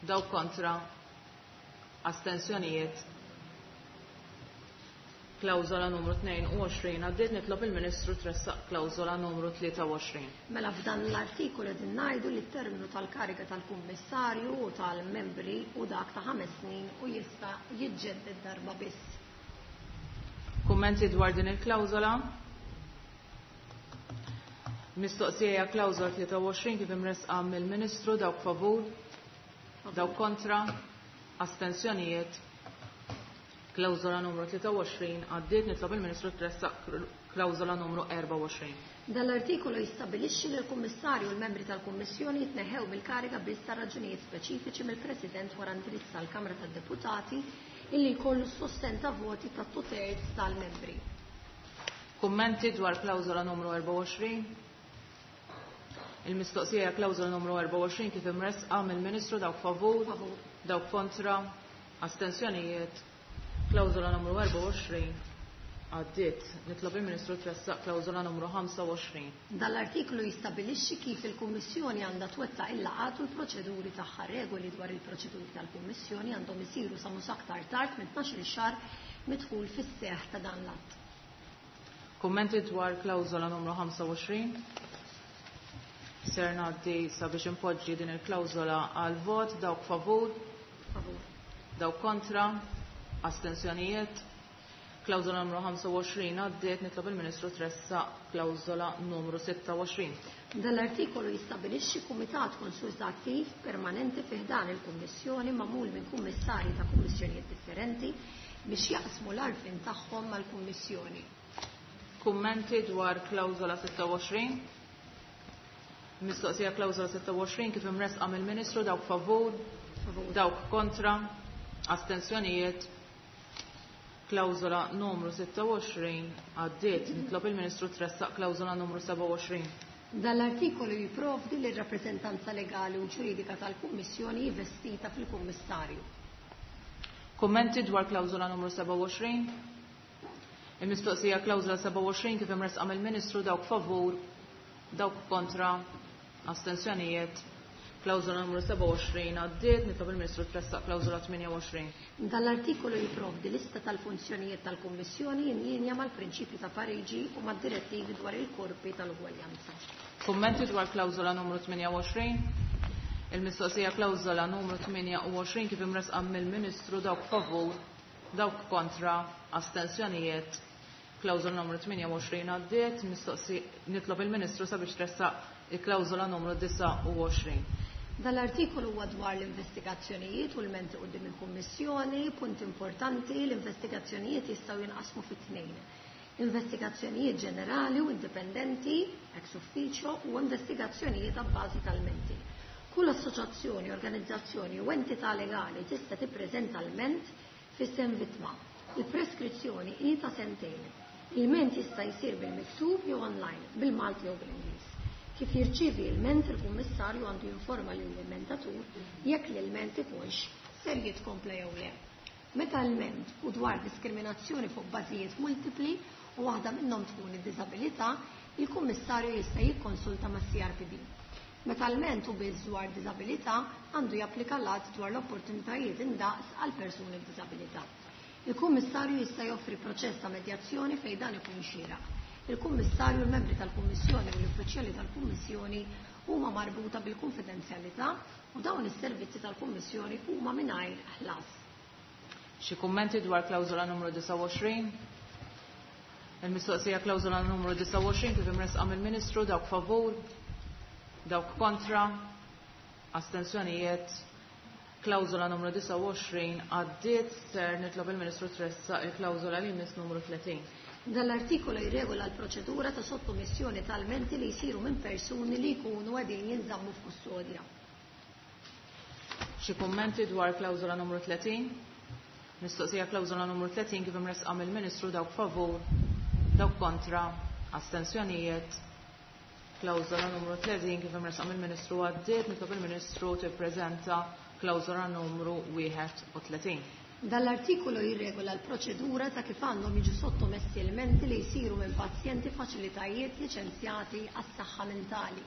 Speaker 2: dawk kontra, astensjonijiet. Klawżola numru tnejn u għoxrin għaddiet. Nitlob il-Ministru tressaq klawżola numru tlieta u għoxrin.
Speaker 1: Mela f'dan l-artikolu qegħdin ngħidu li t-terminu tal-kariga tal-Kummissarju u tal-membri u dak ta' ħames snin u jista' jiġġedded darba biss.
Speaker 2: Kummenti dwar din il-klawżola? Mistoqsija hija klawżola tlieta u għoxrin kif imresqa mill-Ministru. Dawk favur, dawk kontra, astensjonijiet. Klawżola numru tlieta u għoxrin għaddiet. Nitlob il-Ministru tressaq klawżola numru erbgħa u għoxrin.
Speaker 1: Dan l-artikolu jistabilixxi li l-Kummissarju u l-membri tal-Kummissjoni jitneħħew mill-kariga biss ta' raġunijiet speċifiċi mill-President wara indirizz tal-Kamra tad-Deputati illi jkollu s-sosten ta' voti ta' two-thirds tal-membri.
Speaker 2: Kummenti dwar klawżola numru erbgħa u għoxrin? Il-mistoqsija hija klawżola numru erbgħa u għoxrin kif imresqa mill-Ministru. Dawk favur,
Speaker 1: Favur.
Speaker 2: dawk kontra, astensjonijiet. Klawżola numru erbgħa u għoxrin għaddiet. Nitlob il-Ministru tressaq klawżola numru ħamsa u għoxrin.
Speaker 1: Dan l-artiklu jistabilixxi kif il-Kummissjoni għandha twettaq il-laqgħat u l-proċeduri tagħha. Regoli dwar il-proċeduri tal-Kummissjoni għandhom isiru sa mhux aktar tard minn tnax-il xahar midħul fis-seħħ ta' dan l-att.
Speaker 2: Kummenti dwar klawżola numru ħamsa u għoxrin? Ser ngħaddi sabiex impoġġi din il-klawżola għal vot. Dawk favur?
Speaker 1: Favur.
Speaker 2: Dawk kontra? Astensjonijiet? Klawżola numru ħamsa u għoxrin għaddiet, nitlob il-Ministru tressaq klawżola numru sitta u għoxrin.
Speaker 1: Dan l-artikolu jistabilixxi kumitat konsultattiv permanenti fi ħdan il-Kummissjoni magħmul minn kummissarji ta' kummissjonijiet differenti biex jaqsmu l-għarfien tagħhom mal-Kummissjoni.
Speaker 2: Kummenti dwar klawżola sitta u għoxrin? Mistoqsija klawżola sitta u għoxrin kif imresqa mill-Ministru, dawk favur,
Speaker 1: Favur.
Speaker 2: dawk kontra, astensjonijiet. Klawżola numru sitta u għoxrin għaddiet, nitlob il-Ministru tressaq klawżola numru seba' u għoxrin.
Speaker 1: Dan l-artikolu jipprovdi li r-rappreżentanza legali u ġuridika tal-Kummissjoni hi vestita fil-Kummissarju.
Speaker 2: Kummenti dwar klawżola numru seba' u għoxrin? Il-mistoqsija klawżola seba' u għoxrin kif imresqa mill-Ministru, dawk favur, dawk kontra, astensjonijiet. Klawżola numru seba' u għoxrin għaddiet, nitlob il-Ministru tressaq klawżola tmienja u għoxrin.
Speaker 1: Dan l-artikolu jipprovdi lista tal-funzjonijiet tal-Kummissjoni in linja mal-prinċipju ta' Pariġi u mad-direttivi dwar il-korpi tal-ugwaljanza.
Speaker 2: Kummenti dwar klawżola numru tmienja u għoxrin? Il-mistoqsija klawżola numru tmienja u għoxrin kif imresqa mill-Ministru, dawk favur, dawk kontra, astensjonijiet. Klawżola numru tmienja u għoxrin għaddiet, mistoqsi nitlob il-Ministru sabiex tressaq il-klawżola numru disgħa u għoxrin.
Speaker 1: Dan l-artikolu huwa dwar l-investigazzjonijiet u l-menti quddiem il-Kummissjoni, punt importanti, l-investigazzjonijiet jistgħu jinqasmu fi tnejn. Investigazzjonijiet ġenerali u indipendenti, ex ufficio, u investigazzjonijiet a bażi tal-menti. Kull assoċjazzjoni, organizzazzjoni u entità legali tista' tippreżenta l-ment f'isem vittma. Il-preskrizzjoni hi ta' sentejn. Il-ment jista' jsir bil-miktub jew online, bil-Malti jew bil-Ingliż. Kif jirċievi l-ment, il-Kummissarju għandu jinforma lill-ilmentatur jekk l-ilment ikunx ser jitkompla jew le. Meta l-ment hu dwar diskriminazzjoni fuq bażijiet multipli u waħda minnhom tkun id-diżabilità, il-Kummissarju jista' jikkonsulta mas-C R P D. Meta l-ment hu biss dwar diżabilità, għandu japplika l-att dwar l-opportunitajiet indaqs għal persuni b'diżabilità. Il-Kummissarju jista' joffri proċess ta' medjazzjoni fejn dan ikun xieraq. Il-Kummissarju, il-membri tal-Kummissjoni u l-uffiċjali tal-Kummissjoni huma marbuta bil-konfidenzjalità u dawn is-servizzi tal-Kummissjoni huma mingħajr ħlas.
Speaker 2: Xi kummenti dwar klawżola numru disgħa u għoxrin? Il-mistoqsija klawżola numru disgħa u għoxrin kif imresqa mill-Ministru, dawk favur, dawk kontra, astensjonijiet. Klawżola numru disgħa u għoxrin għaddiet, ser nitlob il-Ministru tressaq il-klawżola li jmiss numru tletin.
Speaker 1: Dan l-artikolu jirregola l-proċedura ta' sottomissjoni tal-menti li jsiru minn persuni li jkunu qegħdin jinżammu f'kustodja.
Speaker 2: Xi kummenti dwar klawżola numru tletin? Mistoqsija klawżola numru tletin kif imresqa mill-Ministru, dawk favur, dawk kontra, astensjonijiet. Klawżola numru tletin kif imresqa mill-Ministru għaddiet, nitlob il-Ministru tippreżenta klawżola numru wieħed u tletin.
Speaker 1: Dan l-artikolu jirregola l-proċedura ta' kif għandhom jiġu sottomessi elementi li jsiru minn pazjenti faċilitajiet liċenzjati għas-saħħa mentali.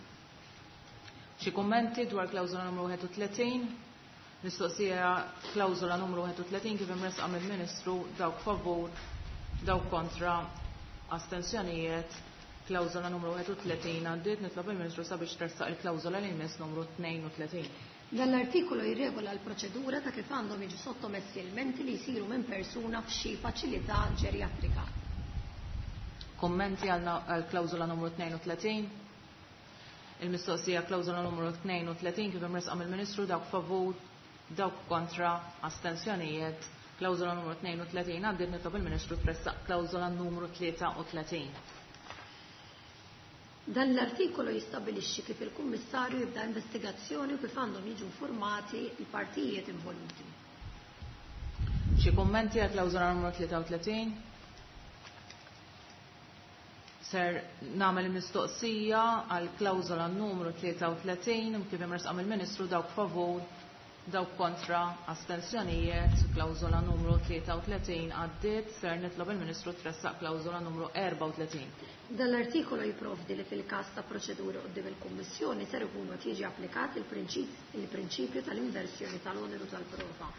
Speaker 2: Xi kummenti dwar klawżola numru wieħed u tletin? Mistoqsija klawżola numru wieħed u tletin kif imresqa mill-Ministru, dawk favur, dawk kontra, astensjonijiet. Klawżola numru wieħed u tletin għaddiet, nitlob il-Ministru sabiex tressaq il-klawżola li jmiss numru tnejn u tletin.
Speaker 1: Dan l-artikolu jirregola l-proċedura ta' kif għandhom jiġu sottomessi elementi li jsiru minn persuna f'xi faċilità ġerjatrika.
Speaker 2: Kummenti għal na-, għal klawżola numru tnejn u tletin? Il-mistoqsija klawżola numru tnejn u tletin kif imresqa mill-Ministru, dawk favur, dawk kontra, astensjonijiet. Klawżola numru tnejn u tletin għaddiet, nitlob il-Ministru tressaq klawżola numru tlieta u tletin.
Speaker 1: Dan l-artikolu jistabilixxi kif il-Kummissarju jibda investigazzjoni u kif għandhom jiġu informati l-partijiet involuti.
Speaker 2: Xi kummenti għal klawżola numru tlieta u tletin? Ser nagħmel mistoqsija għal klawżola numru tlieta u tletin kif imresqa mill-Ministru, dawk favur, dawk kontra, astensjonijiet. Klawżola numru tlieta u tletin għaddiet, ser nitlob il-Ministru tressaq klawżola numru erba' u tletin.
Speaker 1: Dan l-artikolu jipprovdi li fil-każ ta' proċeduri quddiem il-Kummissjoni ser ikunu qed jiġi applikat il-prinċip-, il-prinċipju tal-inversjoni tal-oneru tal-prova.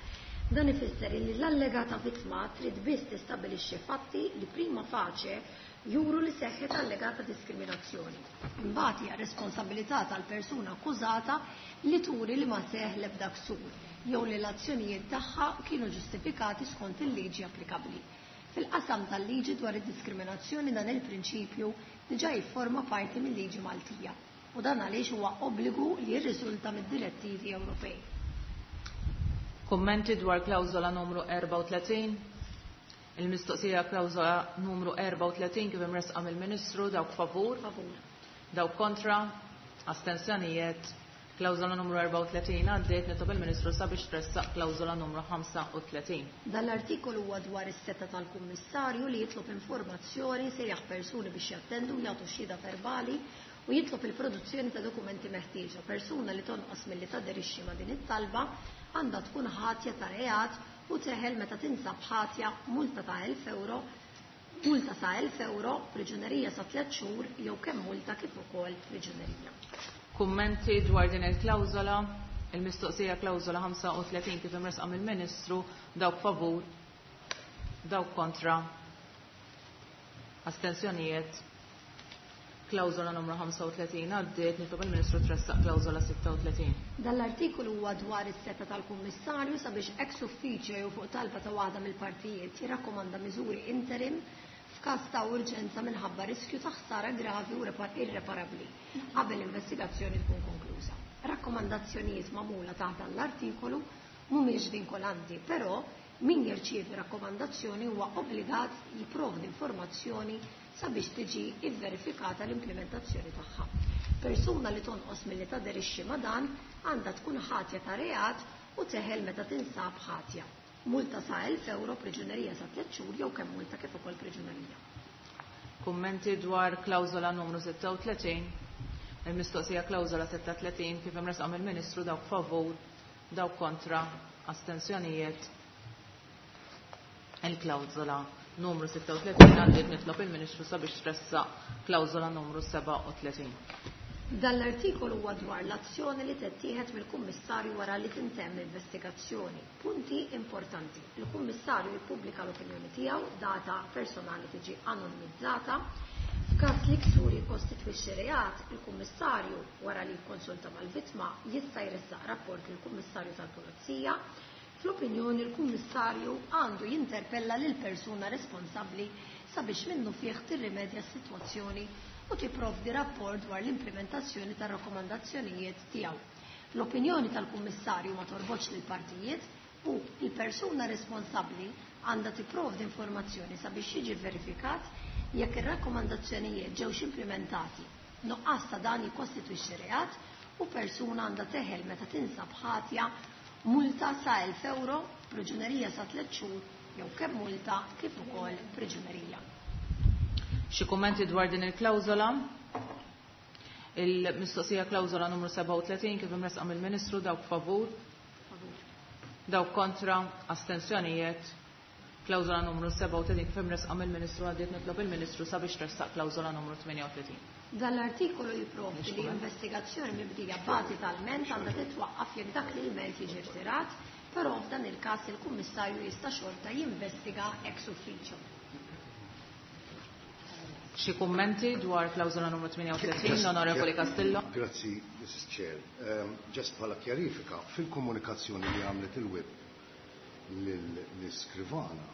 Speaker 1: Dan ifisser li l-allegata vittma trid biss tistabbilixxi fatti li prima facie juru li seħħet allegata diskriminazzjoni. Imbagħad hija responsabilità tal-persuna akkużata li turi li ma seħħ l-ebda ksur jew li l-azzjonijiet tagħha kienu ġustifikati skont il-liġi applikabbli. Fil-qasam tal-liġi dwar id-diskriminazzjoni dan il-prinċipju diġà jifforma parti mill-liġi Maltija u dan għaliex huwa obbligu li jirriżulta mid-direttivi Ewropej.
Speaker 2: Kummenti dwar klawżola numru erbgħa u tletin? Il-mistoqsija klawżola numru erbgħa u tletin kif imressqa mill-Ministru, dawk favur?
Speaker 1: Favur.
Speaker 2: Dawk kontra? Astensjonijiet? Klawżola numru erbgħa u tletin għaddiet, nitlob il-Ministru sabiex tressaq klawżola numru ħamsa u tletin.
Speaker 1: Dan l-artikolu huwa dwar is-seta tal-Kummissarju li jitlob informazzjoni, sejjaħ persuni biex jattendu, jagħtu xhieda verbali u jitlob il-produzzjoni ta' dokumenti meħtieġa. Persuna li tonqos milli taderixxi ma' din it-talba għandha tkun ħatja ta' reat u teħel meta tinsab ħatja multa ta' elf euro, multa sa' elf euro, priġunerija sa' tliet xhur jew kemm multa kif ukoll priġunerija.
Speaker 2: Kummenti dwar din il-klawżola? Il-mistoqsija klawżola ħamsa u tletin kif imressqa mill-Ministru, dawk favur, dawk kontra, astensjonijiet. Klawżola numru ħamsa u tletin għaddiet, nitlob il-Ministru tressaq klawżola sitta u tletin.
Speaker 1: Dan l-artikolu huwa dwar is-seta tal-Kummissarju sabiex ex ufficio jew fuq talba ta' waħda mill-partijiet jirrakkomanda miżuri interim f'każ ta' urġenza minħabba riskju ta' ħsara gravi u irreparabbli qabel l-investigazzjoni tkun konkluża. Rakkomandazzjonijiet magħmula taħt dan l-artikolu mhumiex vinkolanti, però min jirċievi rakkomandazzjoni huwa obbligat jipprovdi informazzjoni sabiex tiġi ivverifikata l-implementazzjoni tagħha. Persuna li tonqos milli taderixxi ma' dan għandha tkun ħatja ta' reat u teħel meta tinsab ħatja. Multa sa' elf euro, priġunerija sa' tliet xhur jew kemm multa kif ukoll priġunerija.
Speaker 2: Kummenti dwar klawżola numru sitta u tletin? Il-mistoqsija klawżola sitta u tletin kif imressqa mill-Ministru, dawk favur, dawk kontra, astensjonijiet. Il-klawżola numru sitta u tletin għaddiet, nitlob il-Ministru sabiex tressaq klawżola numru sebgħa u tletin.
Speaker 1: Dan l-artikolu huwa dwar l-azzjoni li tittieħed mill-Kummissarju wara li tintemm l-investigazzjoni. Punti importanti. Il-Kummissarju jippubblika l-opinjoni tiegħu, data personali tiġi anonimizzata. F'każ li ksur jikkostitwixxi reat, il-Kummissarju wara li jikkonsulta mal-vittma jista' jressaq rapport lill-Kummissarju tal-Pulizija. Fl-opinjoni l-Kummissarju għandu jinterpella lil persuna responsabbli sabiex minnu fih tirrimedja s-sitwazzjoni u tipprovdi rapport dwar l-implementazzjoni tar-rakkomandazzjonijiet tiegħu. L-opinjoni tal-Kummissarju ma torbotx lill-partijiet u l-persuna responsabbli għandha tipprovdi informazzjoni sabiex jiġi verifikat jekk ir-rakkomandazzjonijiet ġewx implementati. Nuqqas ta' dan jikkostitwixxi reat u persuna għandha teħel meta tinsab ħatja multa sa' elf euro, priġunerija sa' tliet xhur jew kemm multa kif ukoll priġunerija.
Speaker 2: Xi kummenti dwar din il-klawżola? Il-mistoqsija klawżola numru sebgħa u tletin kif imressqa mill-Ministru, dawk favur, dawk kontra, astensjonijiet. Klawżola numru sebgħa u tletin kif imressqa mill-Ministru għaddiet, nitlob il-Ministru sabiex tressaq klawżola numru tmienja u tletin.
Speaker 1: Dan l-artikolu jipprovdi li investigazzjoni mibdija bażi tal-ment għandha titwaqqaf jekk dak li l-ment jiġi rtirat, però f'dan il-każ il-Kummissarju jista' xorta jinvestiga ex ufficio.
Speaker 2: Xi kummenti dwar klawżola numru tmienja u tletin, l-Onorevoli Castillo?
Speaker 3: Grazzi, Missus Chair. Um, just bħala kjarifika, fil-komunikazzjoni li għamlet il-W I P l-iskrivana,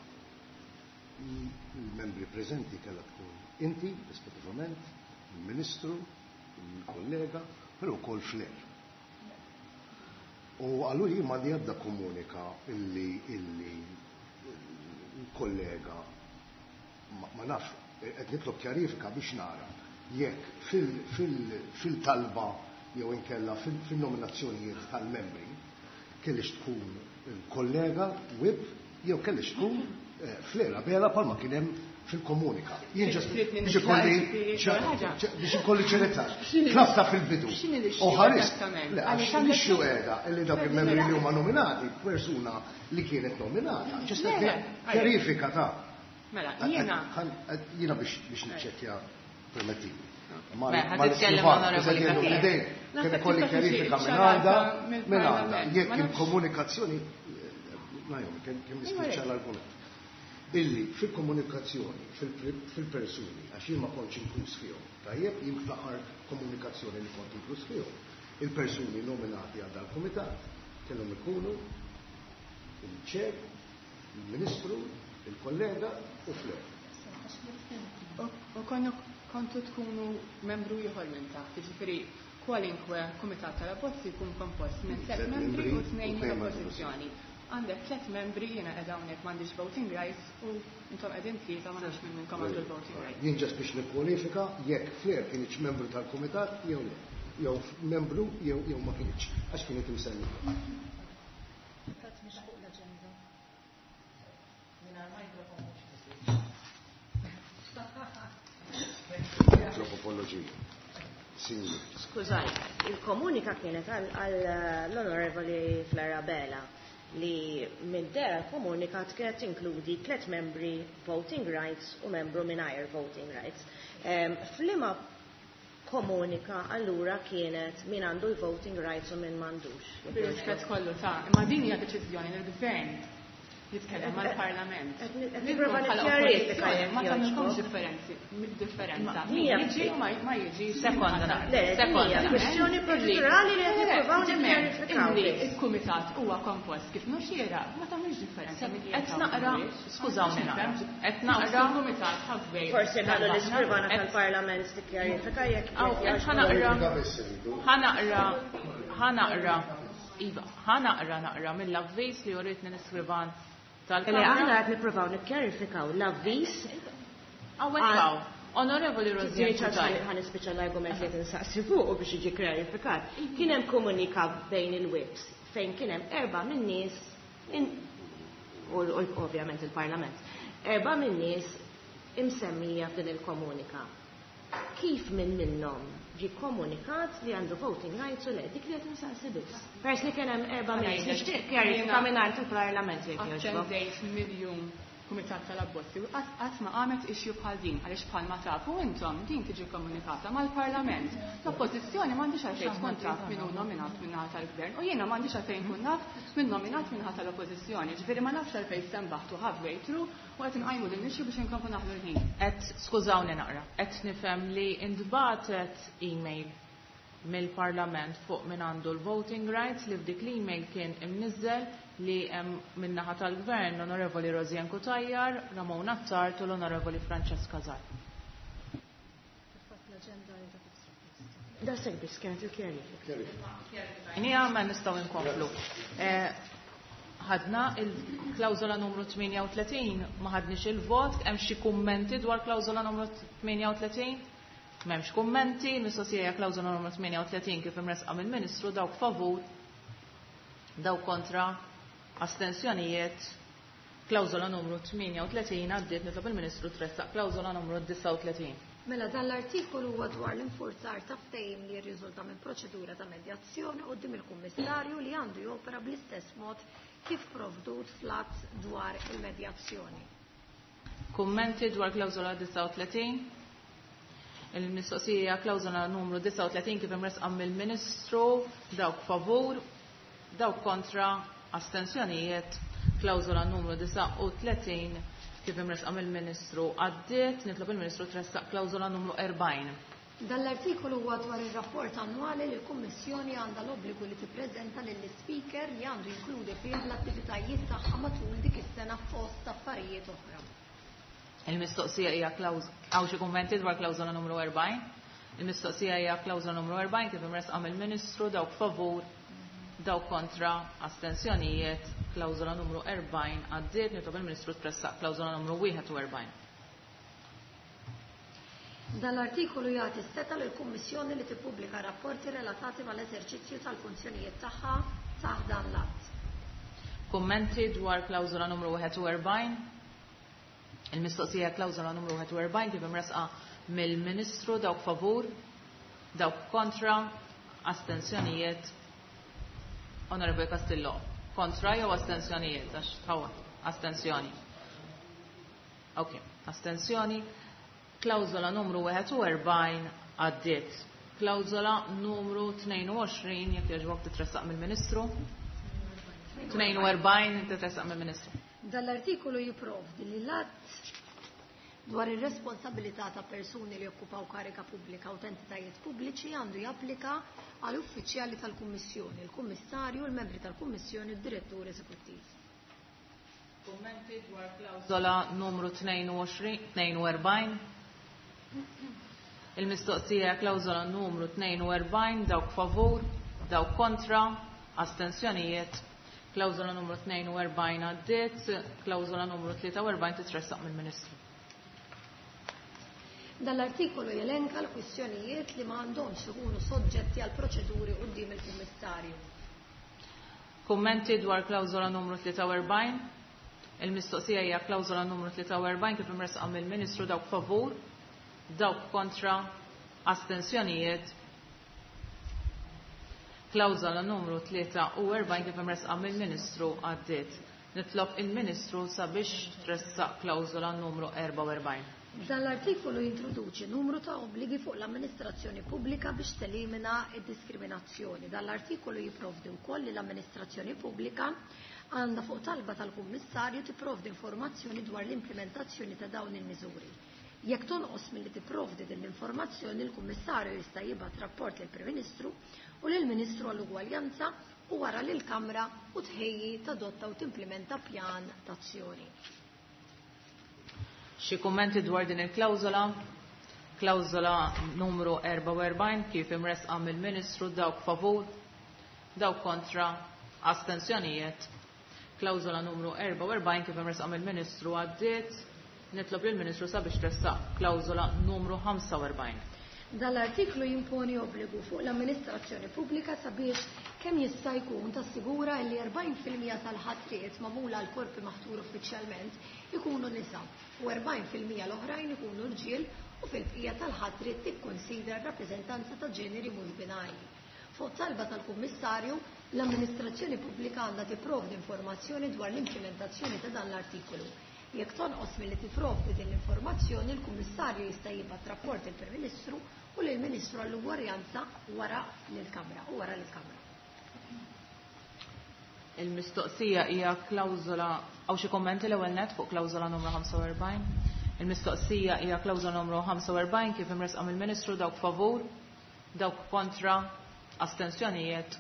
Speaker 3: il-membri preżenti kellha tkun inti, rispettivament, il-Ministru, il-kollega, però wkoll Flair. U allura jien m'għandi ebda komunika illi illi il-kollega ma, ma nafx, qed nitlob kjarifika biex nara jekk fil-talba jew inkella fil-nominazzjonijiet tal-membri kellix tkun il-kollega W I P jew kellix tkun Flair Abela palma kien hemm fil-komunika. Jien ġast biex ikolli biex ikolli ċerezza. Tlabta fil-bidu. U ħares. Le, għax l-issue qiegħda illi dawk il-membri li huma nominati, persuna li kienet nominata. Ġast kjarifika ta'
Speaker 4: Mela, jiena.
Speaker 3: Jiena biex niċċekkja permettili.
Speaker 2: Ma titkellem Onorevoli Castillo.
Speaker 3: Kien ikolli kjarifika minn għanda, minn għanda. Jekk il-komunikazzjoni, Naomi, kemm nispiċċa l-argument. Illi fil-komunikazzjoni, fil-persuni, għax jien ma kontx inkluż fihom, tajjeb, jien fl-aħħar komunikazzjoni li kont inkluż fihom, il-persuni nominati għal dal-kumitat kellhom ikunu il-ċer, il-Ministru, Il-kollega u Flair.
Speaker 4: U kontu tkunu membru ieħor minn taħt, jiġifieri kwalinkwe kumitat tal-abbozzi jkun kompost minn tliet membri u tnejn mill-oppożizzjoni. Għandek tliet membri, jiena qiegħda hawnhekk m'għandix voting rights u intom qegħdin tlieta ma nafx minn minnkom għandu l-voting rights.
Speaker 3: Jien ġast biex nikkwalifika jekk Flair kienx membru tal-kumitat jew le. Jew membru jew jew ma kienx, għax kienet imsemmija.
Speaker 6: Fatt mhix fuq l-aġenda. Mingħajr microphone mhux.
Speaker 3: Tropopoloġija.
Speaker 5: Skużani, il-komunika kienet għall-Onorevoli Flora Bella li minn dera l-komunika kienet tinkludi tliet membri voting rights u membru mingħajr voting rights. F'liema komunika allura kienet min għandu l-voting rights u min m'għandux.
Speaker 4: Bir-rispett kollu ta' imma din hija deċiżjoni li l-gvern jitkellem mal-Parlament.
Speaker 5: Nipprova nikkjarifika jekk
Speaker 4: ma tagħmilkomx differenzi, differenza.
Speaker 5: Hija
Speaker 4: jiġi u ma jiġi.
Speaker 2: Sekonda.
Speaker 5: Le, hija kwestjoni proċedurali li qed nippruvaw nikkjarifikaw.
Speaker 4: Il-kumitat huwa kompost kif mhux xieraq, ma tagħmilx differenza.
Speaker 2: Qed naqra, skużawni naqra. Qed naqra
Speaker 4: kumitat ħabbej.
Speaker 5: Forsi nagħmlu l-iskrivana tal-Parlament tikkjarifika jekk.
Speaker 2: Ħa naqra. Ħa naqra. Ħa naqra. Iva, ħa naqra naqra mill-avviż li uritni l-iskrivan.
Speaker 5: Li aħna qed nippruvaw nikkjarifikaw l-avviż.
Speaker 2: Hawnhekk Onorevoli Rosianne.
Speaker 5: Ħa nispiċċa l-argument li qed insaqsi fuq biex jiġi kjarifikat. Kien hemm komunika bejn il-whips fejn kien hemm erba' min-nies u ovvjament il-Parlament. Erba' min-nies imsemmija f'din il-komunika. Kif minn minnhom ġi komunikat li għandu voting rights u le, dik li qed insaqsi biss. Pers li kien hemm erba' minn nixtieq kjarifika mingħand il-Parlament jekk jogħġbok.
Speaker 4: Attendejt miljun kumitat tal-abbozzi u qatt ma qamet issue bħal din għaliex bħalma tafu intom din tiġi komunikata mal-Parlament. L-oppożizzjoni m'għandix għalfejn tkun taf min hu nominat min-naħa tal-Gvern u jiena m'għandix għalfejn nkun naf min nominat min-naħa tal-Oppożizzjoni. Ġifieri ma nafx għalfejn stenbaħtu halfway through u qed inqajmu din l-issue biex inkomplu naħlu l-ħin.
Speaker 2: Qed skużawni naqra, qed nifhem li intbagħtet email mill-Parlament fuq min għandu l-voting rights li f'dik l-email kien imniżżel li hemm min-naħa tal-Gvern l-Onorevoli Rosianne Cutajar, Ramon Attard u l-Onorevoli Francesca Zarb.
Speaker 5: Da sek biss kienet il-kjarifika.
Speaker 2: Nija ma nistgħu nkomplu. Ħadna il-klawżola numru tmienja u tletin, ma ħadniex il-vot, hemm xi kummenti dwar klawżola numru tmienja u tletin? M'hemmx kummenti, mistoqsija klawżola numru tmienja u tletin kif imresqa mill-Ministru, dawk favur, dawk kontra, astensjonijiet. Klawżola numru tmienja u tletin għaddiet, nitlob il-Ministru tressaq klawżola numru disgħa u tletin.
Speaker 1: Mela dan l-artikolu huwa dwar l-infurzar ta' ftehim li jirriżulta minn proċedura ta' medjazzjoni quddiem il-Kummissarju li għandu jopera bl-istess mod kif provdut fl-att dwar il-medjazzjoni.
Speaker 2: Kummenti dwar klawżola disgħa u tletin? Il-mistoqsija klawżola numru disgħa u tletin kif imresqa mill-Ministru, dawk favur, dawk kontra, astensjonijiet. Klawżola numru disgħa u tletin kif imresqa mill-Ministru għaddiet, nitlob il-Ministru tressaq klawżola numru erbgħin.
Speaker 1: Dan l-artikolu huwa dwar ir-rapport annwali li l-Kummissjoni għandha l-obbligu li tippreżenta lill-Speaker li għandu jinkludi fih l-attivitajiet tagħha matul dik is-sena fost affarijiet oħra.
Speaker 2: Il-mistoqsija hija klawż hawn xi kummenti dwar klawżola numru erbgħin? Il-mistoqsija hija klawżola numru erbgħin kif imresqa mill-Ministru, dawk favur, dawk kontra, astensjonijiet. Klawżola numru erbgħin għaddiet, nitlob il-Ministru tressaq klawżola numru wieħed u erbgħin.
Speaker 1: Dan l-artikolu jagħti s-seta lill-Kummissjoni li tippubblika rapporti relatati mal-eżerċizzju tal-funzjonijiet tagħha taħt dan l-att.
Speaker 2: Kummenti dwar klawżola numru wieħed u erbgħin? Il-mistoqsija klawżola numru wieħed u erbgħin kif imresqa mill-Ministru, dawk favur, dawk kontra, astensjonijiet. Onorevoli Castillo, kontra jew astensjonijiet? Għax tħawat, astensjoni. Ok, astensjoni. Klawżola numru wieħed u erbgħin għaddiet. Klawżola numru tnejn u għoxrin, jekk jogħġbok titressaq mill-Ministru. tnejn u erbgħin titressaq mill-Ministru.
Speaker 1: Dan l-artikolu jipprovdi li l-att dwar ir-responsabilità ta' persuni li jokkupaw kariga pubblika u entitajiet pubbliċi għandu japplika għal uffiċjali tal-Kummissjoni, il-Kummissarju, il-membri tal-Kummissjoni u d-Direttur Eżekuttiv.
Speaker 2: Kummenti dwar klawżola numru tnejn u erbgħin. Il-mistoqsija klawżola numru tnejn u erbgħin, dawk favur, dawk kontra, astensjonijiet. Klawżola numru tnejn u erbgħin għaddiet, klawżola numru tlieta u erbgħin titressaq mill-Ministru.
Speaker 1: Dan l-artikolu jelenka l-kwistjonijiet li ma għandhomx ikunu soġġetti għal proċeduri quddiem il-Kummissarju.
Speaker 2: Kummenti dwar klawżola numru tlieta u erbgħin. Il-mistoqsija hija klawżola numru tlieta u erbgħin kif imressqa mill-Ministru, dawk favur, dawk kontra, astensjonijiet. Klawżola numru tlieta u erbgħin kif imressqa mill-Ministru għaddiet. Nitlob il-Ministru sabiex tressaq klawżola numru erbgħa u erbgħin.
Speaker 1: Dan l-artikolu jintroduċi numru ta' obbligi fuq l-amministrazzjoni pubblika biex telimina d-diskriminazzjoni. Dan l-artikolu jipprovdi wkoll li l-amministrazzjoni pubblika għandha fuq talba tal-Kummissarju tipprovdi informazzjoni dwar l-implementazzjoni ta' dawn il-miżuri. Jekk tonqos milli tipprovdi din l-informazzjoni, il-Kummissarju jista' jibgħat rapport lill-Prim Ministru u lill-Ministru għall-Ugwaljanza u wara lill-Kamra u tħejji tadotta u timplementa pjan t'azzjoni.
Speaker 2: Xi kummenti dwar din il-klawżola? Klawżola numru erbgħa u erbgħin kif imressqa mill-Ministru, dawk favur, dawk kontra, astensjonijiet. Klawżola numru erbgħa u erbgħin kif imressqa mill-Ministru għaddiet. Nitlob lill-Ministru sabiex tressaq klawżola numru ħamsa u erbgħin.
Speaker 1: Dan l-artiklu jimponi obbligu fuq l-amministrazzjoni pubblika sabiex kemm jista' jkun tassigura li erbgħin fil-mija tal-ħatriet magħmula għal korpi maħtur uffiċjalment ikunu nisa u erbgħin fil-mija l-oħrajn ikunu rġiel u fil-bqija tal-ħatriet tikkonsidra r-rappreżentanza ta' ġeneri mhux binarji. Fuq talba tal-Kummissarju, l-amministrazzjoni pubblika għandha tipprovdi informazzjoni dwar l-implementazzjoni ta' dan l-artikolu. Jekk tonqos milli tipprovdi din l-informazzjoni, il-Kummissarju jista' jibgħat rapport lill-Prim Ministru u lill-Ministru għall-Ugwaljanza wara lill-Kamra u wara lill-Kamra.
Speaker 2: Il-mistoqsija hija klawżola, hawn xi kummenti l-ewwel nett fuq klawżola numru ħamsa u erbgħin? Il-mistoqsija hija klawżola numru ħamsa u erbgħin kif imressqa mill-Ministru, dawk favur, dawk kontra, astensjonijiet.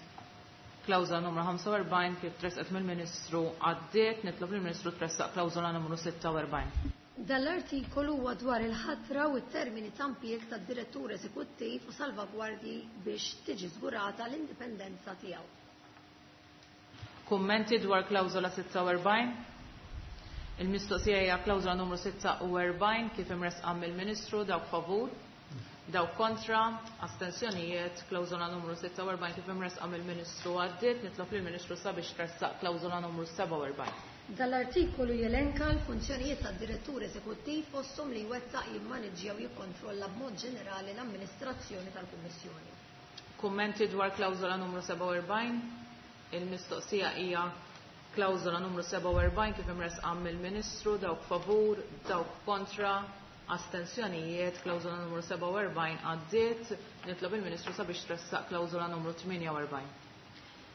Speaker 2: Klawżola numru ħamsa u erbgħin kif tressqet mill-Ministru għaddiet. Nitlob lill-Ministru tressaq klawżola numru sitta u erbgħin.
Speaker 1: Dan l-artikolu huwa dwar il-ħatra u t-termini ta' impjieg tad-direttur eżekuttiv u salvagwardji biex tiġi żgurata l-indipendenza tiegħu.
Speaker 2: Kummenti dwar klawżola sitta u erbgħin? Il-mistoqsija hija klawżola numru sitta u erbgħin kif imressqa mill-Ministru, dawk favur, dawk kontra, astensjonijiet. Klawżola numru sitta u erbgħin kif imressqa mill-Ministru għaddiet. Nitlob lill-Ministru sabiex tressaq klawżola numru sebgħa u erbgħin.
Speaker 1: Dan l-artikolu jelenka l-funzjonijiet tad-direttur eżekuttiv fosthom li jwettaq, jimmaniġġja u jikkontrolla b'mod ġenerali l-amministrazzjoni tal-Kummissjoni.
Speaker 2: Kummenti dwar klawżola numru sebgħa u erbgħin? Il-mistoqsija hija klawżola numru sebgħa u erbgħin kif imressqa mill-Ministru, dawk favur, dawk kontra, astensjonijiet. Klawżola numru sebgħa u erbgħin għaddiet. Nitlob il-Ministru sabiex tressaq klawżola numru tmienja u erbgħin.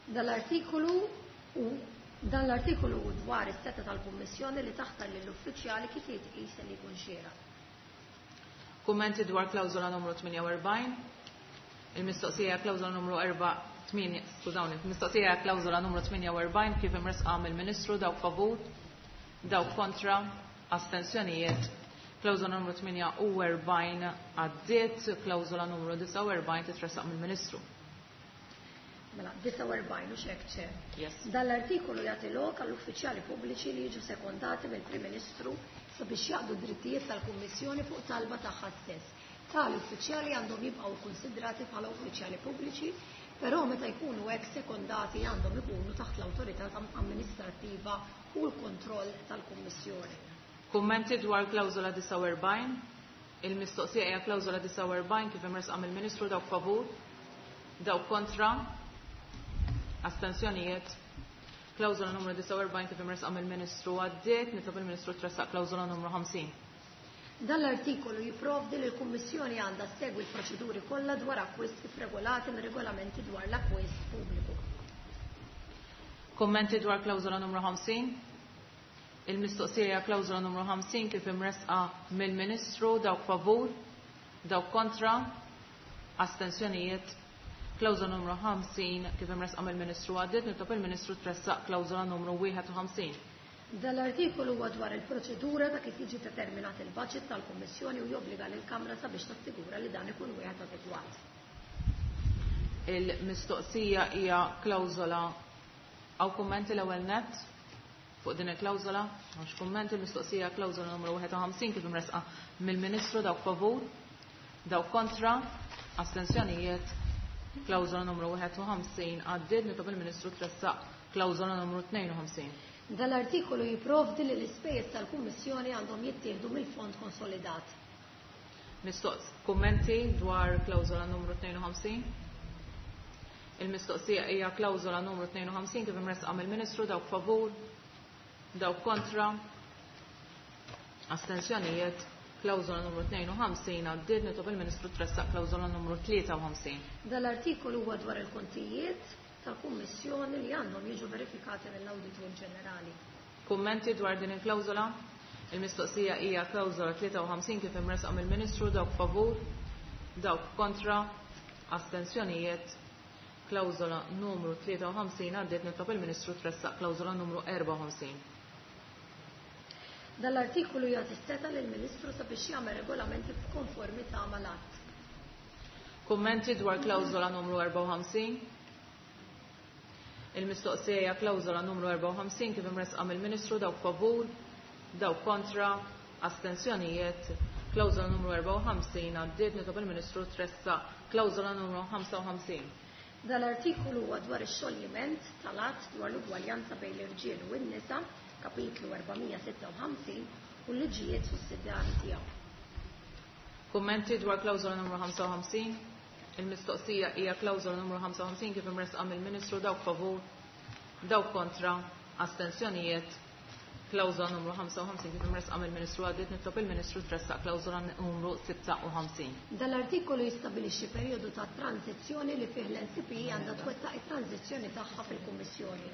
Speaker 1: Dan l-artikolu u Dan l-artikolu hu dwar is-seta tal-Kummissjoni li taħtar lill-uffiċjali kif jitqis li jkun xieraq.
Speaker 2: Kummenti dwar klawżola numru tmienja u erbgħin? Il-mistoqsija hija klawżola numru erba' tmienja, skużawni, mistoqsija hija klawżola numru tmienja u erbgħin kif imressqa mill-Ministru, dawk favur, dawk kontra, astensjonijiet. Klawżola numru tmienja u erbgħin għaddiet, klawżola numru disgħa u erbgħin titressaq mill-Ministru.
Speaker 1: Mela, disgħa u erbgħin u xek ċe.
Speaker 2: Yes.
Speaker 1: Dan l-artikolu jagħti lok għall-uffiċjali pubbliċi li jiġu sekondati mill-Prim Ministru sabiex jaqdu drittijiet tal-Kummissjoni fuq talba tagħha stess. Tali uffiċjali għandhom jibqgħu kkunsidrati bħala uffiċjali pubbliċi, però meta jkunu hekk sekondati għandhom ikunu taħt l-awtorità amministrattiva u l-kontroll tal-Kummissjoni.
Speaker 2: Kummenti dwar klawżola disgħa u erbgħin? Il-mistoqsija hija klawżola disgħa u erbgħin kif imressqa mill-Ministru, dawk favur, dawk kontra, astensjonijiet. Klawżola numru disgħa u erbgħin kif imressqa mill-Ministru għaddiet. Nitlob il-Ministru tressaq klawżola numru ħamsin.
Speaker 1: Dan l-artikolu jipprovdi li l-Kummissjoni għandha ssegwi l-proċeduri kollha dwar akkwist kif regolati mir-regolamenti dwar l-akkwist pubbliku.
Speaker 2: Kummenti dwar klawżola numru ħamsin? Il-mistoqsija hija klawżola numru ħamsin kif imressqa mill-Ministru, dawk favur, dawk kontra, astensjonijiet. Klawżola numru ħamsin kif imressqa mill-Ministru għaddiet. Nitlob il-Ministru tressaq klawżola numru wieħed u ħamsin.
Speaker 1: Dal-artikolu huwa dwar il-proċedura ta' kif jiġi determinat il-budget tal-Kummissjoni u jobbliga lill-Kamra sabiex tassigura li dan ikun wieħed adegwat.
Speaker 2: Il-mistoqsija hija klawżola. Hawn kummenti l-ewwel nett fuq din il-klawżola? M'hawnx kummenti. Il-mistoqsija klawżola numru wieħed u ħamsin kif imresqa mill-Ministru. Dawk favur, dawk kontra, astensjonijiet. Klawżola numru wieħed u ħamsin għaddiet. Nitlob il-Ministru tressaq klawżola numru tnejn u ħamsin.
Speaker 1: Dal-artikolu jipprovdi li l-ispejjeż tal-Kummissjoni għandhom jittieħdu mill-fond konsolidat.
Speaker 2: Mistoqs, kummenti dwar klawżola numru tnejn u ħamsin? Il-mistoqsija hija klawżola numru tnejn u ħamsin kif imresqa mill-Ministru. Dawk favur, dawk kontra, astensjonijiet. Klawżola numru tnejn u ħamsin għaddiet. Nitlob il-Ministru tressaq klawżola numru tlieta u ħamsin.
Speaker 1: Dal-artikolu huwa dwar il-kontijiet tal-Kummissjoni li għandhom jiġu verifikati mill-Awditur Ġenerali.
Speaker 2: Kummenti dwar din il-klawżola? Il-mistoqsija hija klawżola tlieta u ħamsin kif imresqa mill-Ministru. Dawk favur, dawk kontra, astensjonijiet. Klawżola numru tlieta u ħamsin għaddiet. Nitlob il-Ministru tressaq klawżola numru erba' u ħamsin.
Speaker 1: Dal-artikolu jagħti seta' lill-Ministru sabiex jagħmel regolamenti f'konformità mal-att.
Speaker 2: Kummenti dwar klawżola numru erba' u ħamsin? Il-mistoqsija hija klawżola numru erba' u ħamsin kif imresqa mill-Ministru. Dawk favur, dawk kontra, astensjonijiet. Klawżola numru erba' u ħamsin għaddiet. Nitlob il-Ministru tressaq klawżola numru ħamsa u ħamsin.
Speaker 1: Dal-artikolu huwa dwar ix-xoljiment tal-att dwar l-ugwaljanza bejn l-irġiel u n-nisa, kapitlu erba' sitta u ħamsin, u l-liġijiet sussidjarji tiegħu.
Speaker 2: Kummenti dwar klawżola numru ħamsa u ħamsin? Il-mistoqsija hija klawżola numru ħamsa u ħamsin kif imresqa mill-Ministru. Dawk favur, dawk kontra, astensjonijiet. Klawżola numru ħamsa u ħamsin kif imresqa mill-Ministru għaddiet. Nitlob il-Ministru tressaq klawżola numru sitta u ħamsin.
Speaker 1: Dal-artikolu jistabilixxi perjodu ta' tranzizzjoni li fih l-N C P E għandha twettaq it-tranzizzjoni tagħha fil-Kummissjoni.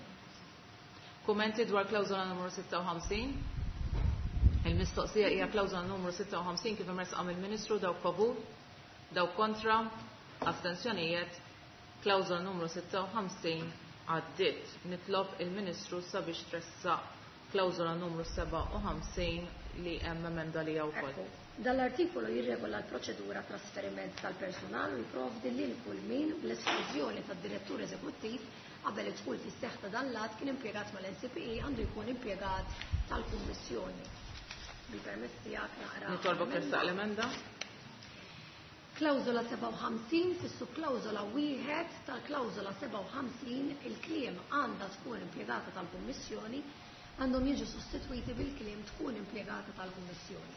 Speaker 2: Kummenti dwar klawżola numru sitta u ħamsin? Il-mistoqsija hija klawżola numru sitta u ħamsin kif imresqa mill-Ministru. Dawk favur, dawk kontra, astensjonijiet. Klawżola numru sitta u ħamsin għaddiet. Nitlob il-Ministru sabiex tressaq klawżola numru seba' u ħamsin li hemm emenda li wkoll.
Speaker 1: Dal-artikolu jirregola l-proċedura trasferiment tal-personal u jipprovdi lil kull min bl-esklużjoni tad-direttur eżekuttiv qabel id-dħul fis-seħħ ta' dan l-att kien impjegat mal-N C P E għandu jkun impjegat tal-Kummissjoni. Bil-permess tiegħek naqra.
Speaker 2: Nitolbok tressaq l-emenda.
Speaker 1: Klawżola seba' u ħamsin fis-subklawżola wieħed tal-klawżola seba' u ħamsin il-kliem għandha tkun impjegata tal-Kummissjoni għandhom jiġu sostitwiti bil-kliem tkun impjegata tal-Kummissjoni.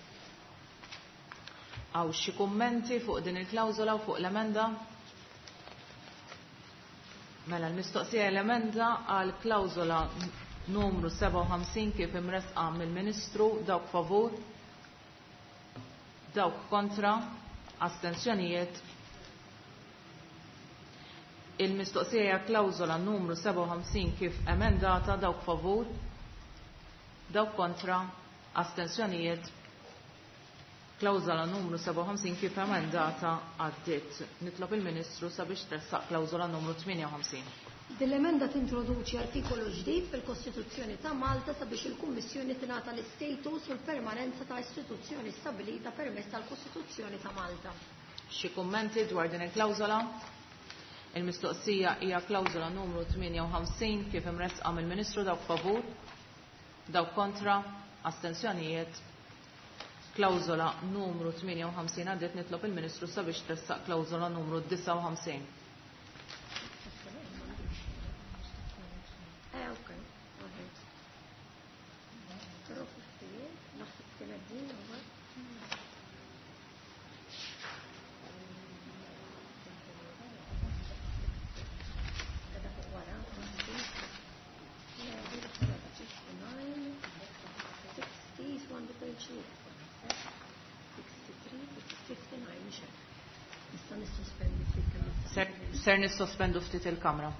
Speaker 2: Hawn xi kummenti fuq din il-klawżola u fuq l-emenda? Mela l-mistoqsija l-emenda għal klawżola numru seba' u ħamsin kif imresqa mill-Ministru. Dawk favur, dawk kontra, astensjonijiet. Il-mistoqsija hija klawżola numru seba' u ħamsin kif emendata. Dawk favur, dawk kontra, astensjonijiet. Klawżola numru seba' u ħamsin kif emendata għaddiet. Nitlob il-Ministru sabiex tressaq klawżola numru tmienja u ħamsin.
Speaker 1: Din l-emenda tintroduċi artikolu ġdid fil-Kostituzzjoni ta' Malta sabiex il-Kummissjoni tingħata l-istatus u l-permanenza ta' istituzzjoni stabilita permezz tal-Kostituzzjoni ta' Malta.
Speaker 2: Xi kummenti dwar din il-klawżola? Il-mistoqsija hija klawżola numru tmienja u ħamsin kif imresqa mill-Ministru. Dawk favur, dawk kontra, astensjonijiet. Klawżola numru tmienja u ħamsin għaddiet. Nitlob il-Ministru sabiex tressaq klawżola numru disgħa u ħamsin.
Speaker 1: Eh, ok, alright. Però fifty-eight, naħseb kienet din, u
Speaker 2: Ser nissospendu ftit il-kamra.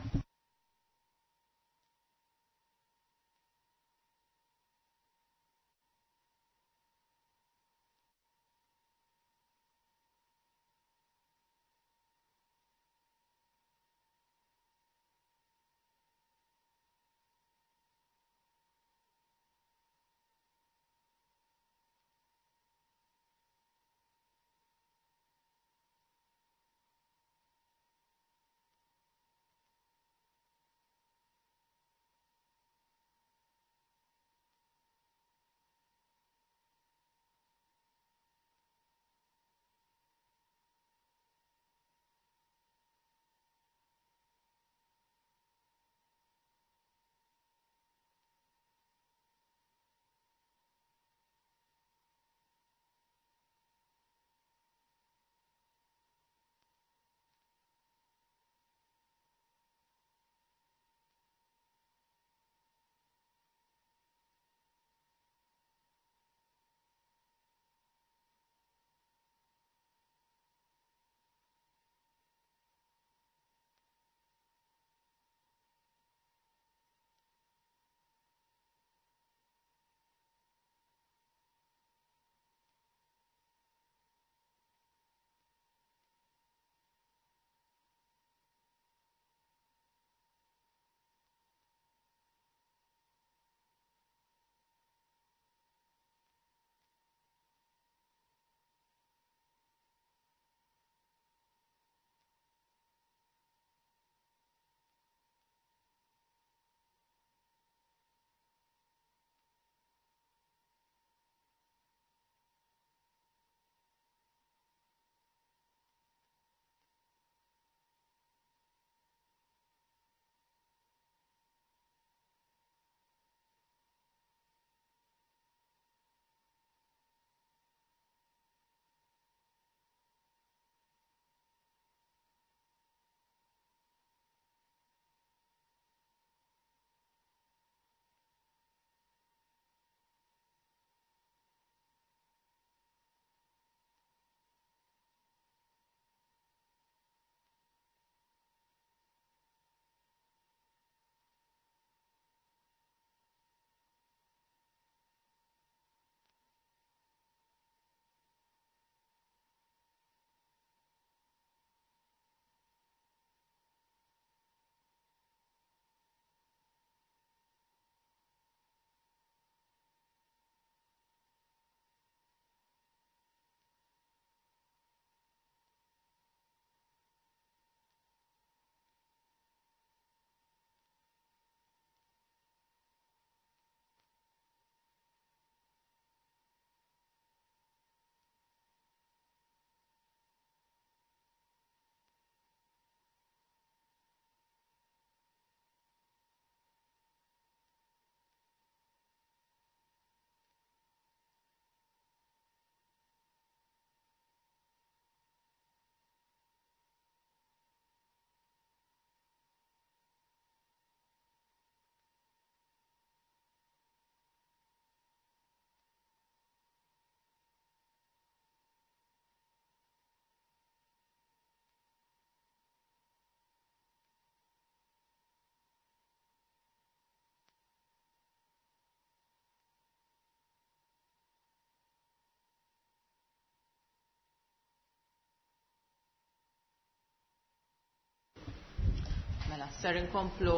Speaker 2: Mela, ser inkomplu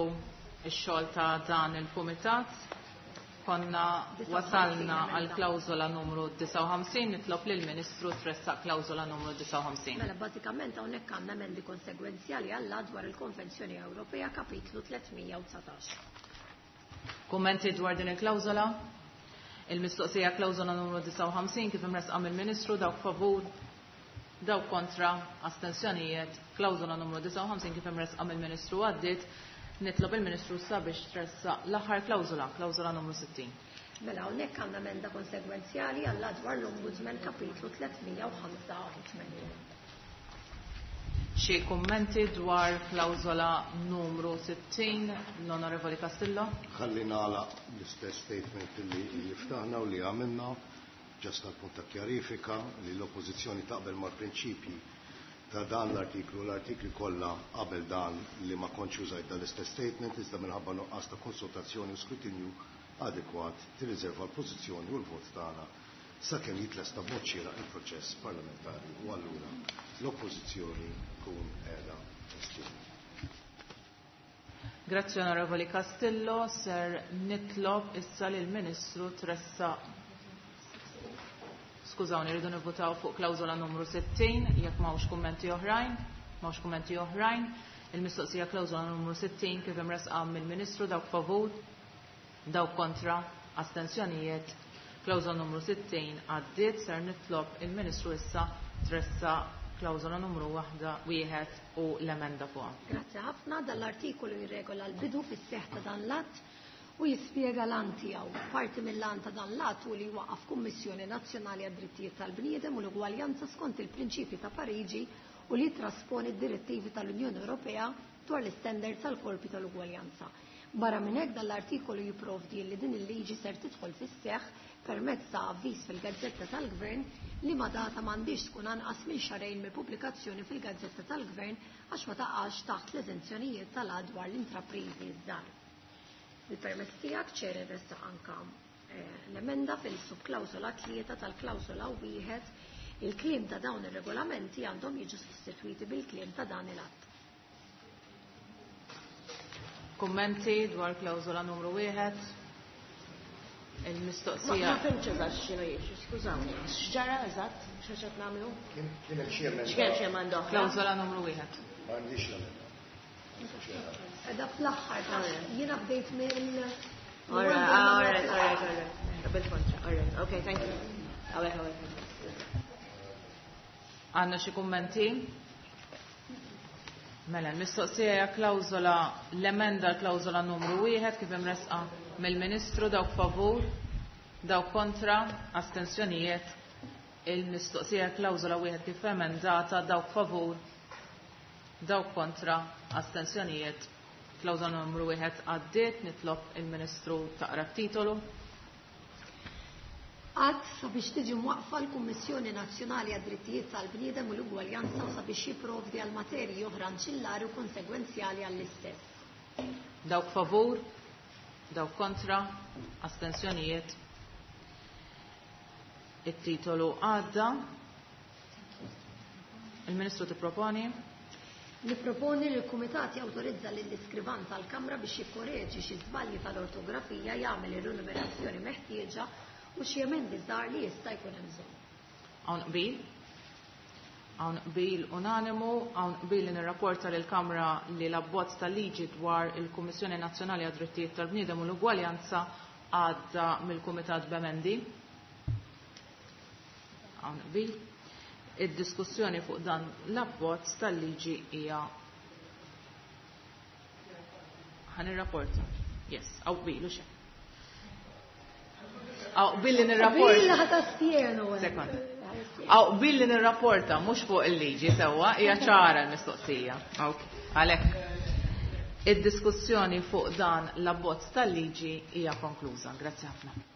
Speaker 2: x-xogħol ta' dan il-kumitat. Konna wasalna għal klawżola numru disgħa u ħamsin, nitlob lill-Ministru tressaq klawżola numru disgħa u ħamsin.
Speaker 1: Mela, bażikament hawnhekk għandna emendi konsegwenzjali għall dwar il-Konvenzjoni Ewropea kapitlu tliet mija u dsatax.
Speaker 2: Kummenti dwar din il-klawżola? Il-mistoqsija klawżola numru disgħa u ħamsin kif imressqa mill-Ministru, dawk favur, dawk kontra, astensjonijiet, klawżola numru disgħa u ħamsin kif imressqa mill-Ministru għaddiet. Nitlob il-Ministru sabiex tressaq l-aħħar klawżola, klawżola numru sittin.
Speaker 1: Mela, hawnhekk għandna emenda konsegwenzjali għall dwar l-Ombudsman kapitlu tliet mija u ħamsa u tmenin.
Speaker 2: Xi kummenti dwar klawżola numru sittin, l-Onorevoli Castillo?
Speaker 3: Ħalli nagħlaq l-istess statement li li ftaħna u li għamilna, just għal punt ta' kjarifika li l-Oppożizzjoni taqbel mal-prinċipji ta' dan l-artiklu, l-artikli kollha qabel dan li ma kontx użajt dan l-istess statement, iżda minħabba nuqqas ta' konsultazzjoni u skrutinju adekwat tirriserva l-pożizzjoni u l-vot tagħna sakemm jitlesta b'mod xieraq il-proċess parlamentari u allura l-Oppożizzjoni tkun qiegħda testieni.
Speaker 2: Grazzi Onorevoli Castillo, ser nitlob issa lill Ministru tressaq. Skużawni, rridu nivvutaw fuq klawżola numru sittin, jekk m'hawnx kummenti oħrajn, m'hawnx kummenti oħrajn. Il-mistoqsija klawżola numru sittin kif imressqa mill-Ministru, dawk favur, dawk kontra, astensjonijiet. Klawżola numru sittin għaddiet, ser nitlob il-Ministru issa tressaq klawżola numru waħda wieħed u l-emenda fuqha.
Speaker 1: Grazzi ħafna, dal-artikolu jirregola l-bidu fis-seħħ ta' dan l-att u jispjega l-għan tiegħu. Parti mill-għan ta' dan l-att hu li jwaqqaf Kummissjoni Nazzjonali għad-Drittijiet tal-Bniedem u l-Ugwaljanza skont il-prinċipji ta' Pariġi u li trasponi d-direttivi tal-Unjoni Ewropea dwar l-istandards tal-korpi tal-ugwaljanza. Barra minn hekk dan l-artikolu jipprovdi li din il-liġi ser tidħol fis-seħħ permezz ta' avviż fil-Gazzetta tal-Gvern li ma data m'għandix tkun anqas minn xahrejn mill-pubblikazzjoni fil-Gazzetta tal-Gvern għax ma taqax taħt l-eżenzjonijiet tal-att dwar l-intrapriżi żgħar. Il-permess tiegħek Chair irressaq anka, eh, l-emenda fil-subklawsola tlieta tal-klawsola wieħed, il-kliem ta' dawn ir-regolamenti għandhom jiġu sostituiti bil-kliem ta' dan il-att.
Speaker 2: Kummenti dwar klawsola numru wieħed? Il-mistoqsija.
Speaker 5: Ma fhimtx eżatt x'inhu jiġri, skużawni. X'ġara eżatt? X'qed nagħmlu?
Speaker 3: Kienet xi emenda.
Speaker 5: X'kien xi emenda oħra?
Speaker 2: Klawsola numru wieħed.
Speaker 3: M'għandix l-emenda.
Speaker 1: Edha fl-aħħar, jiena bdejt mill
Speaker 5: Alright, alright, alright, alright. Qabel kontra, alright. Okay, thank you. Għawek, għawek.
Speaker 2: Għandna xi kummenti? Mela, l-mistoqsija hija klawżola l-emenda l-klawżola numru wieħed kif imressqa mill-Ministru, dawk favur, dawk kontra, astensjonijiet. Il-mistoqsija klawżola wieħed kif emendata, dawk favur, dawk kontra, astensjonijiet. Klawżola numru wieħed għaddiet, nitlob il-Ministru taqra titolu.
Speaker 1: Att sabiex tiġi mwaqfa l-Kummissjoni Nazzjonali għad-Drittijiet tal-Bniedem u l-Ugwaljanza u sabiex jipprovdi għal materji oħra anċillari u konsegwenzjali għall-istess.
Speaker 2: Dawk favur, dawk kontra, astensjonijiet. Il-titolu għadda. Il-Ministru tipproponi?
Speaker 1: Niproponi li l-Kumitat jawtorizza lill-iskrivan tal-Kamra biex jikkoreġi xi żbalji tal-ortografija, jagħmel ir-rinumerazzjoni meħtieġa u xi emendi żgħar li jista' jkun hemm bżonn.
Speaker 2: Hawn qbil? Hawn qbil unanimu, hawn qbil li nirrapporta lill-Kamra li l-abbozz tal-liġi dwar il-Kummissjoni Nazzjonali għad-Drittijiet tal-Bniedem u l-Ugwaljanza għadda mill-Kumitat b'emendi. Hawn qbil. Id-diskussjoni fuq dan l-abbozz tal-liġi hija ħa nirrapporta. Yes, hawn qbil u xejn. Hawn qbil li nirrapporta.
Speaker 1: Qbil ħa tastienu.
Speaker 2: Sekonda. Hawn qbil li nirrapporta mhux fuq il-liġi sewwa, hija ċara l-mistoqsija. Ok, għalhekk. Id-diskussjoni fuq dan l-abbozz tal-liġi hija konkluża. Grazzi ħafna.